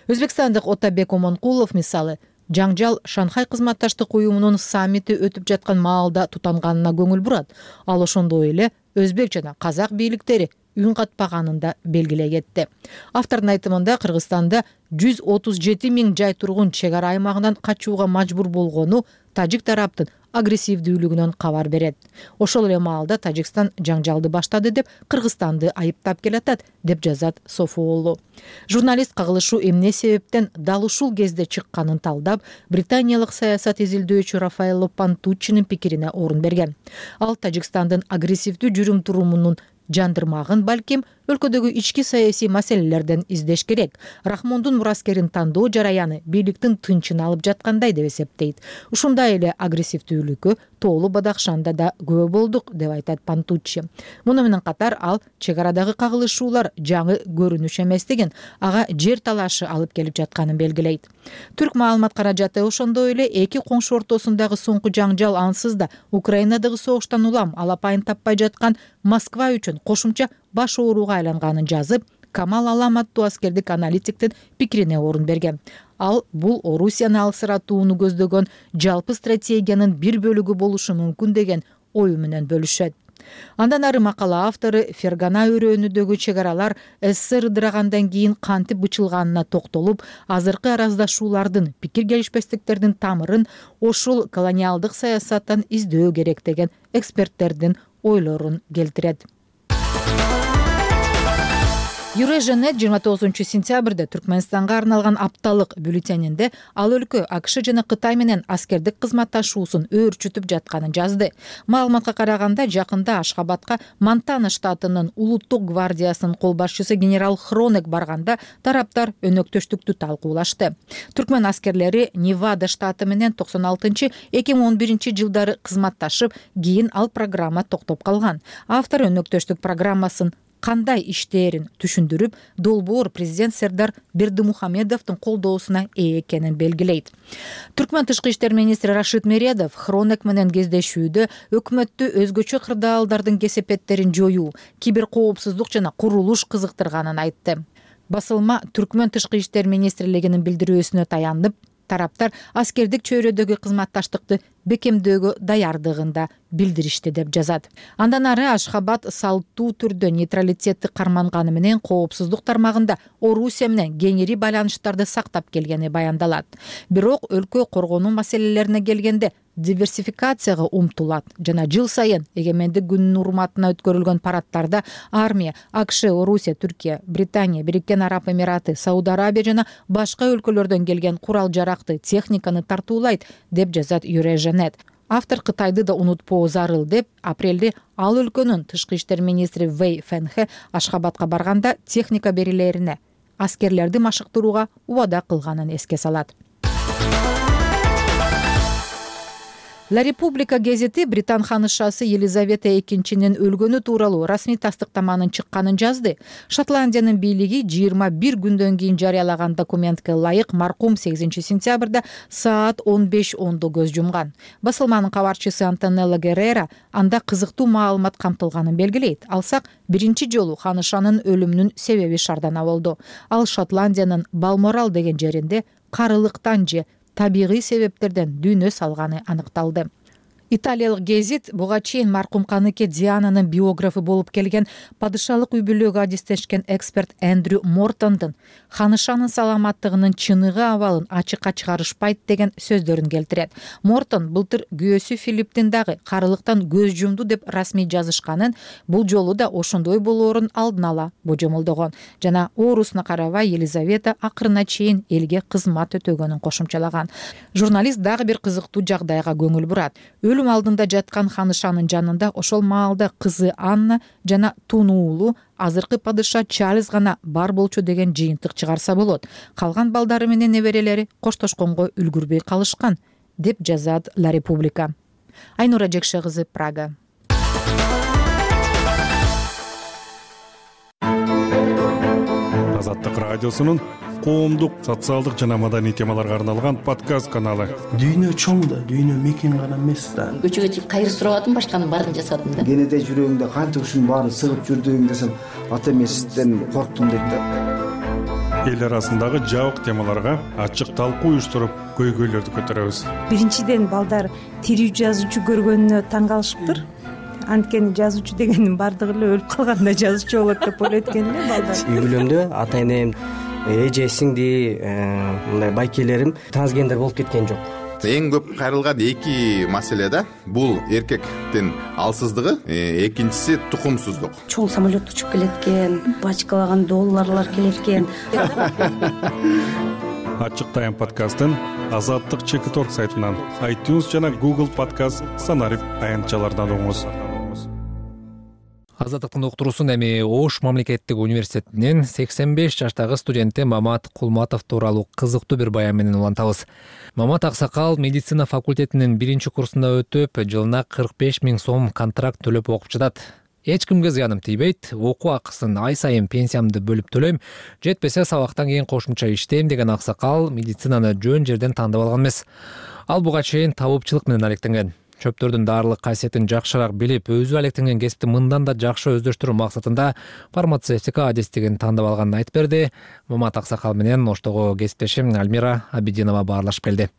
[SPEAKER 2] Өзбекстандык Отабек Омонкулов мисалы жаңжал Шанхай кызматташтык уюмунун саммити өтүп жаткан маалда тутанганына көңүл бурат. Ал ошондой эле өзбек жана казак бийликтери үн катпаганын да белгилей кетти. Автордун айтымында Кыргызстанда жүз отуз жети миң жай тургун чек ара аймагынан качууга мажбур болгону тажик тараптын агрессивдүүлүгүнөн кабар берет. Ошол эле маалда Тажикстан жаңжалды баштады деп Кыргызстанды айыптап келатат, деп жазат Софуоğlu. Журналист кагылышуу эмне себептен дал ушул кезде чыкканын талдап, британиялык саясат изилдөөчү Рафаэлло Пантуччинин пикирине орун берген. Ал Тажикстандын агрессивдүү жүрүм турумунун жандырмагын балким өлкөдөгү ички саясий маселелерден издеш керек. Рахмондун мураскерин тандоо жараяны бийликтин тынчын алып жаткандай деп эсептейт. Ушундай эле агрессивдүүлүккө Тоолу Бадахшанда да күбө болдук, деп айтат Пантуччи. Муну менен катар ал чек арадагы кагылышуулар жаңы көрүнүш эместигин, ага жер талашы алып келип жатканын белгилейт. Түрк маалымат каражаты ошондой эле эки коңшу ортосундагы соңку жаңжал ансыз да Украинадагы согуштан улам алапайын таппай жаткан Москва үчүн кошумча баш ооруга айланганын жазып, Камал Алам аттуу аскердик аналитиктин пикирине орун берген. Ал бул Орусияны алсыратууну көздөгөн жалпы стратегиянын бир бөлүгү болушу мүмкүн деген ою менен бөлүшөт. Андан ары макала автору Фергана өрөөнүдөгү чек аралар СССР ыдырагандан кийин кантип бычылганына токтолуп, азыркы араздашуулардын, пикир келишпестиктердин тамырын ошол колониалдык саясаттан издөө керек деген эксперттердин ойлорун келтирет. Eurasianet жыйырма тогузунчу сентябрда Түркмөнстанга арналган апталык бюллетенинде ал өлкө АКШ жана Кытай менен аскердик кызматташуусун өөрчүтүп жатканын жазды. Маалыматка караганда, жакында Ашхабадка Монтана штатынын улуттук гвардиясынын кол башчысы генерал Хронек барганда тараптар өнөктөштүктү талкуулашты. Түркмөн аскерлери Невада штаты менен токсон алтынчы эки миң он биринчи жылдары кызматташып, кийин ал программа токтоп калган. Автор өнөктөштүк программасын кандай иштээрин түшүндүрүп, долбоор президент Сердар Бердимухамедовдун колдоосуна ээ экенин белгилейт. Түркмөн тышкы иштер министри Рашид Мередов Хронек менен кездешүүдө өкмөттү өзгөчө кырдаалдардын кесепеттерин жоюу, киберкоопсуздук жана курулуш кызыктырганын айтты. Басылма Түркмөн тышкы иштер министрлигинин билдирүүсүнө таянып, тараптар аскердик чөйрөдөгү кызматташтыкты бекемдөөгө даярдыгында билдиришти, деп жазат. Андан ары Ашхабад салттуу түрдө нейтралитетти карманганы менен коопсуздук тармагында Орусия менен кеңири байланыштарды сактап келгени баяндалат. Бирок өлкө коргонуу маселелерине келгенде диверсификацияга умтулат жана жыл сайын эгемендик күнүнүн урматына өткөрүлгөн парадтарда армия, АКШ, Орусия, Түркия, Британия, Бириккен Араб Эмираты, Сауд Арабия жана башка өлкөлөрдөн келген курал-жаракты, техниканы тартуулайт, деп жазат Eurasianet. Автор Кытайды да унутпоо зарыл деп, апрелде ал өлкөнүн тышкы иштер министри Вэй Фэнхэ Ашхабадка барганда техника берилерине, аскерлерди машыктырууга убада кылганын эске салат. La Repubblica гезити Британ ханышасы Елизавета экинчинин өлгөнү тууралуу расмий тастыктаманын чыкканын жазды. Шотландиянын бийлиги жыйырма бир күндөн кийин жарыялаган документке ылайык маркум сегизинчи сентябрда саат он беш ондо көз жумган. Басылманын кабарчысы Антонелла Геррера анда кызыктуу маалымат камтылганын белгилейт. Алсак, биринчи жолу ханышанын өлүмүнүн себеби шардана болду. Ал Шотландиянын Балморал деген жеринде карылыктан же табигый себептерден дүйнө салганы аныкталды. Италиялык гезит буга чейин маркум каныке Диананын биографы болуп келген падышалык үй бүлөгө адистешкен эксперт Эндрю Мортондун ханышанын саламаттыгынын чыныгы абалын ачыкка чыгарышпайт деген сөздөрүн келтирет. Мортон былтыр күйөөсү Филипптин дагы карылыктан көз жумду деп расмий жазышканын, бул жолу да ошондой болоорун алдын ала божомолдогон жана оорусуна карабай Елизавета акырына чейин элге кызмат өтөгөнүн кошумчалаган. Журналист дагы бир кызыктуу жагдайга көңүл бурат. Өлүм алдында жаткан ханышанын жанында ошол маалда кызы Анна жана тунуулу азыркы падыша Чарльз гана бар болчу деген жыйынтык чыгарса болот. Калган балдары менен неберелери коштошконго үлгүрбөй калышкан, деп жазат La Repubblica. Айнура Жекше кызы, Прага.
[SPEAKER 7] Азаттык радиосунун коомдук, социалдык жана маданий темаларга арналган подкаст каналы.
[SPEAKER 10] Дүйнө чоң да, дүйнө мекен гана эмес да.
[SPEAKER 11] Көчөгө чыгып кайыр сурабадым, башканын баарын жасадым да.
[SPEAKER 10] Кенете жүрөгүңдө канча ушунун баарын сыгып жүрдүң десем, ата эмесизден корктум дейт да.
[SPEAKER 7] Эл арасындагы жабык темаларга ачык талкуу уюштуруп, көйгөйлөрдү көтөрөбүз.
[SPEAKER 24] Биринчиден балдар тирүү жазуучу көргөнүнө таң калышыптыр. Анткени жазуучу дегендин баардыгы эле өлүп калганда жазуучу болот деп ойлойт экен эле балдар.
[SPEAKER 25] Үй бүлөмдө ата энем, эже, сиңди, мындай байкелерим трансгендер болуп кеткен жок.
[SPEAKER 26] Эң көп кайрылган эки маселе да. Бул эркектин алсыздыгы, экинчиси тукумсуздук.
[SPEAKER 27] Чоң самолет учуп келет экен, бачкалаган долларлар келет экен.
[SPEAKER 7] Ачык тайм подкастын Азаттык чекит точка орг сайтынан, iTunes жана Google подкаст санарип аянтчалардан угуңуз.
[SPEAKER 1] Азаттыктын уктуруусун эми Ош мамлекеттик университетинин сексен беш жаштагы студенти Мамат Кулматов тууралуу кызыктуу бир баян менен улантабыз. Мамат аксакал медицина факультетинин биринчи курсунда өтүп, жылына кырк беш миң сом контракт төлөп окуп жатат. Эч кимге зыяным тийбейт, окуу акысын ай сайын пенсиямды бөлүп төлөйм, жетпесе сабактан кийин кошумча иштейм деген аксакал медицинаны жөн жерден тандап алган эмес. Ал буга чейин табыпчылык менен алектенген. Чөптөрдүн дарылык касиетин жакшыраак билип, өзү алектенген кесипти мындан да жакшы өздөштүрүү максатында фармацевтика адистигин тандап алганын айтып берди. Мамат аксакал менен Оштогу кесиптешим Альмира Абидинова баарлашып келди.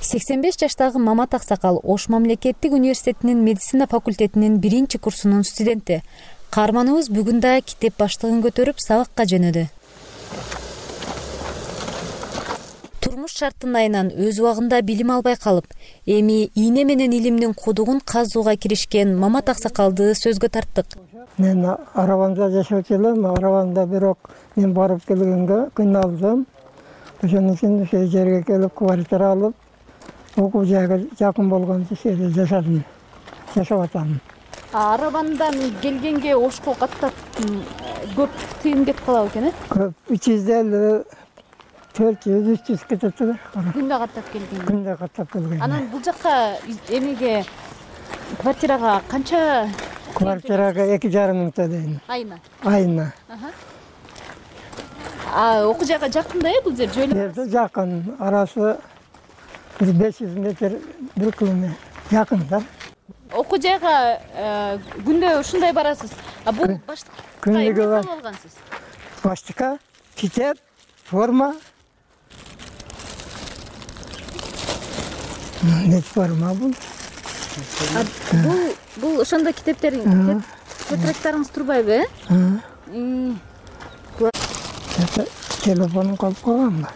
[SPEAKER 28] сексен беш жаштагы Мамат аксакал Ош мамлекеттик университетинин медицина факультетинин биринчи курсунун студенти. Каарманыбыз бүгүн да китеп баштыгын көтөрүп сабакка жөнөдү. Турмуш шартынайынан өз убагында билим албай калып, эми ийне менен илимдин кудугун казууга киришкен Мамат аксакалды сөзгө тарттык.
[SPEAKER 29] Мен арабамда жашап келем, арабамда бирок мен барып келгенге кыйналдым. Ошон үчүн ошол жерге келип квартира алып, окуу жайга жакын болгон жерде жашадым. Жашап атам.
[SPEAKER 28] Арабандан келгенге Ошко каттап көп тыйын кетип калабы экен, э?
[SPEAKER 29] Көп, үч жүз элүү төрт жүз үч жүз кетет да.
[SPEAKER 28] Күндө каттап келген.
[SPEAKER 29] Күндө каттап келген.
[SPEAKER 28] Анан бул жакка эмеге квартирага канча?
[SPEAKER 29] Квартирага эки жарым миң төлөйм.
[SPEAKER 28] Айына.
[SPEAKER 29] Айына.
[SPEAKER 28] А окуу жайга жакында э бул жер жөнөп?
[SPEAKER 29] Жерде жакын, арасы беш жүз метр, бир километр жакын да.
[SPEAKER 28] Окуу жайга күндө ушундай барасыз. А бул баштыкка эмне салып алгансыз?
[SPEAKER 29] Баштыкка китеп, форма. Не форма бул?
[SPEAKER 28] Бул бул ошондо китептериң, тетрадьтарыңыз турбайбы, э?
[SPEAKER 29] Телефонум калып калганбы?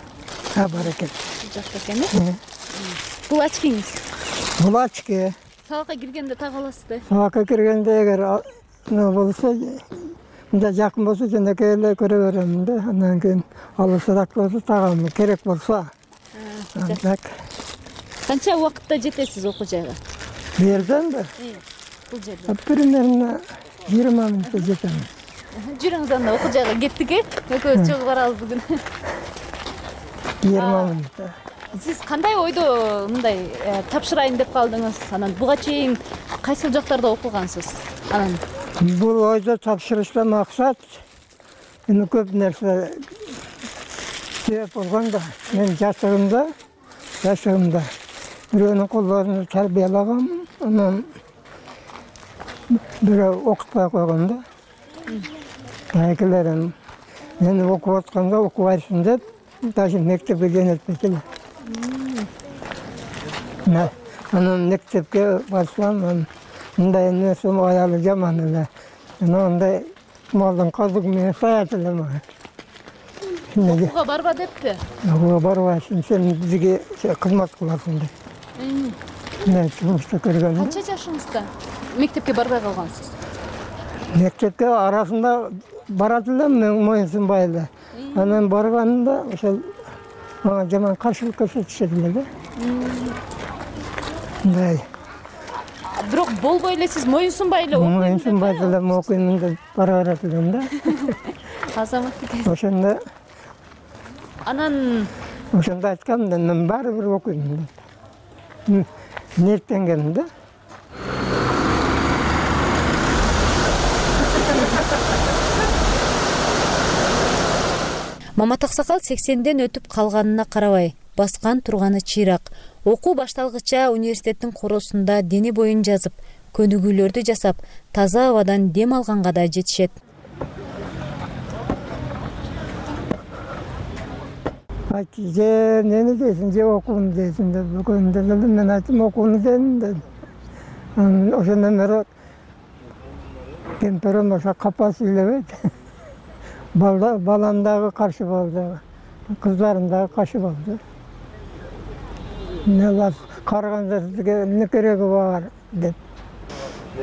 [SPEAKER 29] А, бар экен.
[SPEAKER 28] Жакшы экен, э? Бул очкиңиз?
[SPEAKER 29] Бул очки.
[SPEAKER 28] Сабакка киргенде так аласыз да?
[SPEAKER 29] Сабакка киргенде эгер не болсо, мында жакын болсо жөнөкөй эле көрө беремин да. Андан кийин алысыраак болсо тагам керек болсо. Так.
[SPEAKER 28] Канча убакытта жетесиз окуу жайга?
[SPEAKER 29] Бу жерденби?
[SPEAKER 28] Бул жерден.
[SPEAKER 29] Примерно жыйырма мүнөттө жетем.
[SPEAKER 28] Жүрүңүз анда окуу жайга кеттик, э? Экөөбүз чыгып барабыз бүгүн.
[SPEAKER 29] жыйырма мүнөттө.
[SPEAKER 28] Сиз кандай ойдо мындай тапшырайын деп калдыңыз? Анан буга чейин кайсыл жактарда окугансыз? Анан
[SPEAKER 29] бул ойдо тапшырышта максат эми көп нерсе себеп болгон да. Мен жашыгымда, жашыгымда бирөөнүн колдорун тарбиялагам, анан бирөө окутпай койгон да. Айкелерим мени окуп атканда окубайсың деп, даже мектепке жөнөтпөйт эле. Анан мектепке барсам, мындай нерсе аялы жаман эле. Андай малдын казыгы менен саят эле мага.
[SPEAKER 28] Окууга барба деппи?
[SPEAKER 29] Окууга барбайсың, сен бизге кызмат кыласың деп. Мен жумушта көргөн.
[SPEAKER 28] Канча жашыңызда мектепке барбай калгансыз?
[SPEAKER 29] Мектепке арасында барат элем, мен моюнсунбай эле. Анан барганда ошол мага жаман каршылык көрсөтүшөт эле да. Мындай.
[SPEAKER 28] Бирок болбой эле сиз моюнсунбай эле окуйм.
[SPEAKER 29] Моюнсунбай эле окуйм деп бара берет элем да.
[SPEAKER 28] Азаматтык.
[SPEAKER 29] Ошондо
[SPEAKER 28] анан
[SPEAKER 29] ошондо айткам да, мен баары бир окуйм деп. Ниеттенгем да.
[SPEAKER 28] Мамат Аксакал сексенден өтүп калганына карабай баскан турганы чыйрак. Окуу башталгыча университеттин коросунда дене боюн жазып, көнүгүүлөрдү жасап, таза абадан дем алганга да жетишет.
[SPEAKER 29] Айтты, же нени дейсиң, же окууну дейсиң деп, экөөмдө келдим, мен айттым, окууну дейм дедим. Ошондон бери кемперим ошо капа сүйлөбөйт. Балам дагы каршы болду, кыздарым дагы каршы болду. Не бар, караганда сизге эмне кереги бар деп.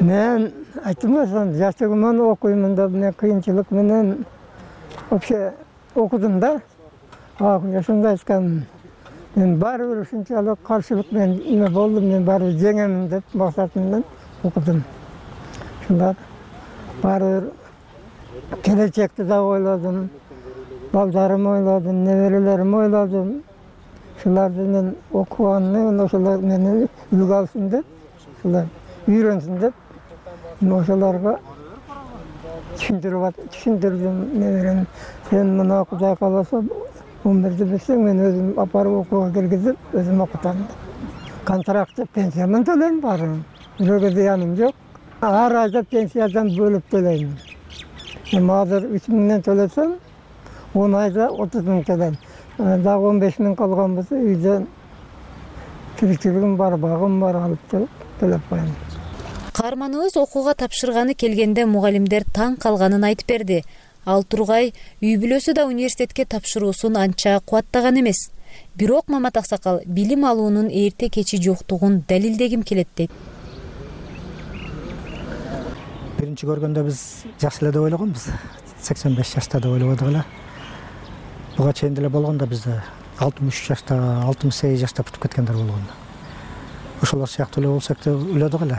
[SPEAKER 29] Мен айттым ошондо, жаштыгыман окуймун деп, мен кыйынчылык менен вообще окудум да. Ошондо айткам, мен баары бир ушунчалык каршылык менен эме болду, мен баары бир жеңемин деп максатым менен окудум. Ушундай баары бир келечекти да ойладым, балдарымды ойладым, неберелеримди ойладым. Ушуларды мен окуганын ошолор мени үлгү алсын деп, ушулар үйрөнсүн деп, мен ошолорго түшүндүрдүм неберем. Сен мына Кудай кааласа он бирди билсең, мен өзүм апарып окууга киргизип, өзүм окутам. Контрактты пенсиямын төлөйм баарын. Бирөөгө зыяным жок. Ар айда пенсиядан бөлүп төлөйм. Эми азыр үч миңден төлөсөм, он айда отуз миң төлөйм. Дагы он беш миң калган болсо, үйдөн тиричилигим бар, багым бар, алып төлөп коем.
[SPEAKER 28] Каарманыбыз окууга тапшырганы келгенде мугалимдер таң калганын айтып берди. Ал тургай үй бүлөсү да университетке тапшыруусун анча кубаттаган эмес. Бирок Мамат Аксакал билим алуунун эрте кечи жоктугун далилдегим келет дейт.
[SPEAKER 12] Биринчи көргөндө биз жаш эле деп ойлогонбуз. сексен беш жашта деп ойлободук эле. Буга чейин деле болгондо бизде алтымыш үч жашта, алтымыш сегиз жашта бүтүп кеткендер болгон. Ошолор сыяктуу эле болсок деп ойлодук эле.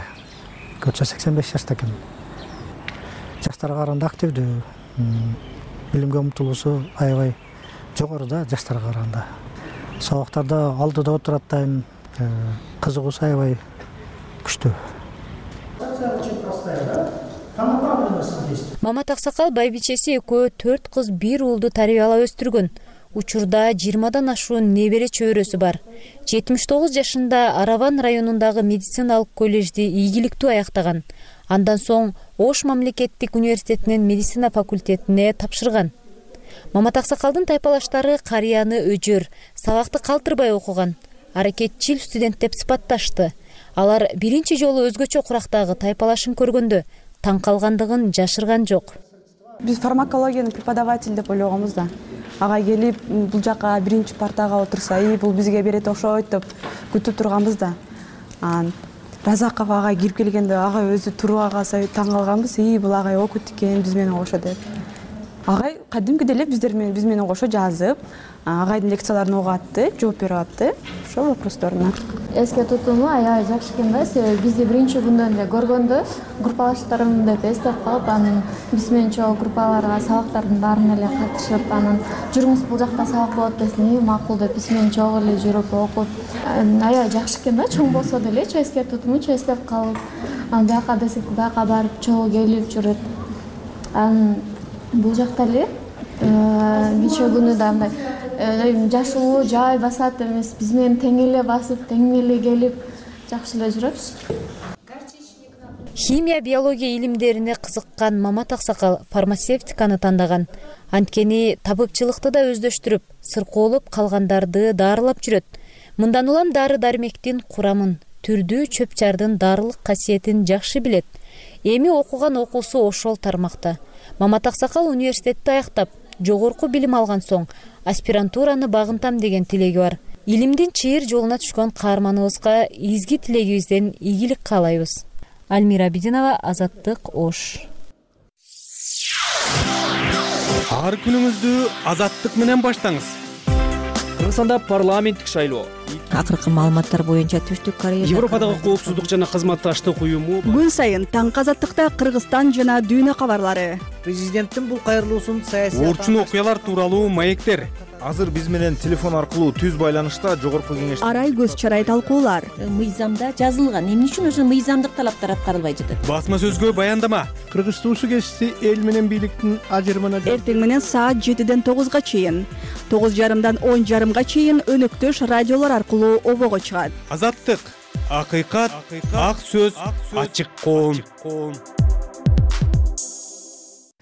[SPEAKER 12] Көчө сексен беш жашта экен. Жаштарга караганда активдүү, билимге умтулуусу аябай жогору да жаштарга караганда. Сабактарда алдыда отурат дайым, кызыгуусу аябай күчтүү.
[SPEAKER 28] Мамат Аксакал байбичеси экөө төрт кыз бир уулду тарбиялап өстүргөн. Учурда жыйырмадан ашуун небере чөбөрөсү бар. жетимиш тогуз жашында Араван районундагы медициналык коллежди ийгиликтүү аяктаган. Андан соң Ош мамлекеттик университетинин медицина факультетине тапшырган. Мамат Аксакалдын тайпалаштары карыяны өжөр, сабакты калтырбай окуган, аракетчил студент деп сыпатташты. Алар биринчи жолу өзгөчө курактагы тайпалашын көргөндө таң калгандыгын жашырган жок.
[SPEAKER 14] Биз фармакологиянын преподаватель деп ойлогонбуз да. Ага келип бул жака биринчи партага отурса, и бул бизге берет окшойт деп күтүп турганбыз да. Разаков агай кирип келгенде агай өзү туруп калса таң калганбыз, и бул агай окут экен биз менен кошо деп. Агай кадимкидей эле биздер менен биз менен кошо жазып, агайдын лекцияларын угуп атты, жооп берип атты. Ошол вопросторуна.
[SPEAKER 15] Эске тутуму аябай жакшы экен да, себеби бизди биринчи күндөн эле көргөндө группалаштарым деп эстеп калып, анан биз менен чогуу группаларга сабактардын баарына эле катышып, анан жүрүңүз бул жакта сабак болот десин, макул деп биз менен чогуу эле жүрүп окуп, аябай жакшы экен да, чоң болсо деле эске тутуму эстеп калып, анан бияка десек бияка барып чогуу келип жүрөт. Анан бул жакта эле нече күнү да мындай жашылуу жай басат эмес, биз менен тең эле басып, тең эле келип жакшы эле жүрөбүз.
[SPEAKER 28] Химия, биология илимдерине кызыккан Мамат Аксакал фармацевтиканы тандаган. Анткени табыкчылыкты да өздөштүрүп, сыркоолоп калгандарды дарылап жүрөт. Мындан улам дары-дармектин курамын, түрдүү чөп-чардын дарылык касиетин жакшы билет. Эми окуган окуусу ошол тармакта. Мамат Аксакал университетти аяктап, жогорку билим алган соң аспирантураны багынтам деген тилеги бар. Илимдин чыйыр жолуна түшкөн каарманыбызга изги тилегибизден ийгилик каалайбыз. Альмира Абидинова, Азаттык, Ош.
[SPEAKER 16] Ар күнүңүздү Азаттык менен баштаңыз. Кыргызстанда парламенттик шайлоо.
[SPEAKER 23] Акыркы маалыматтар боюнча Түштүк Корея
[SPEAKER 16] Европадагы коопсуздук жана кызматташтык уюму
[SPEAKER 17] күн сайын таңкы Азаттыкта Кыргызстан жана дүйнө кабарлары.
[SPEAKER 18] Президенттин бул кайрылуусун саясий
[SPEAKER 16] орчун окуялар тууралуу маектер.
[SPEAKER 3] азыр биз менен телефон аркылуу түз байланышта жогорку кеңеш
[SPEAKER 17] арай көз чарай талкуулар.
[SPEAKER 4] Мыйзамда жазылган, эмне үчүн ошо мыйзамдык талаптар аткарылбай жатат?
[SPEAKER 16] Басма сөзгө баяндама.
[SPEAKER 5] Кыргыз Суу сугезиси эл менен бийликтин ажырымына
[SPEAKER 17] эртең менен саат жетиден тогузга чейин, тогуз жарымдан он жарымга чейин өнөктөш радиолор аркылуу обого чыгат.
[SPEAKER 16] Азаттык, акыйкат, ак сөз, ачык коом.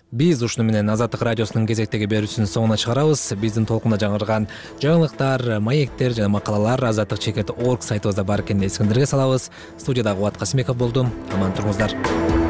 [SPEAKER 1] Биз ушуну менен Азаттык радиосунун кезектеги берүүсүнүн соңуна чыгарабыз. Биздин толкунда жаңырган жаңылыктар, маектер жана макалалар азаттык чекит точка орг сайтыбызда бар экенин эсиңиздерге салабыз. Студияда Кубат Касымбеков болдум. Аман туруңуздар.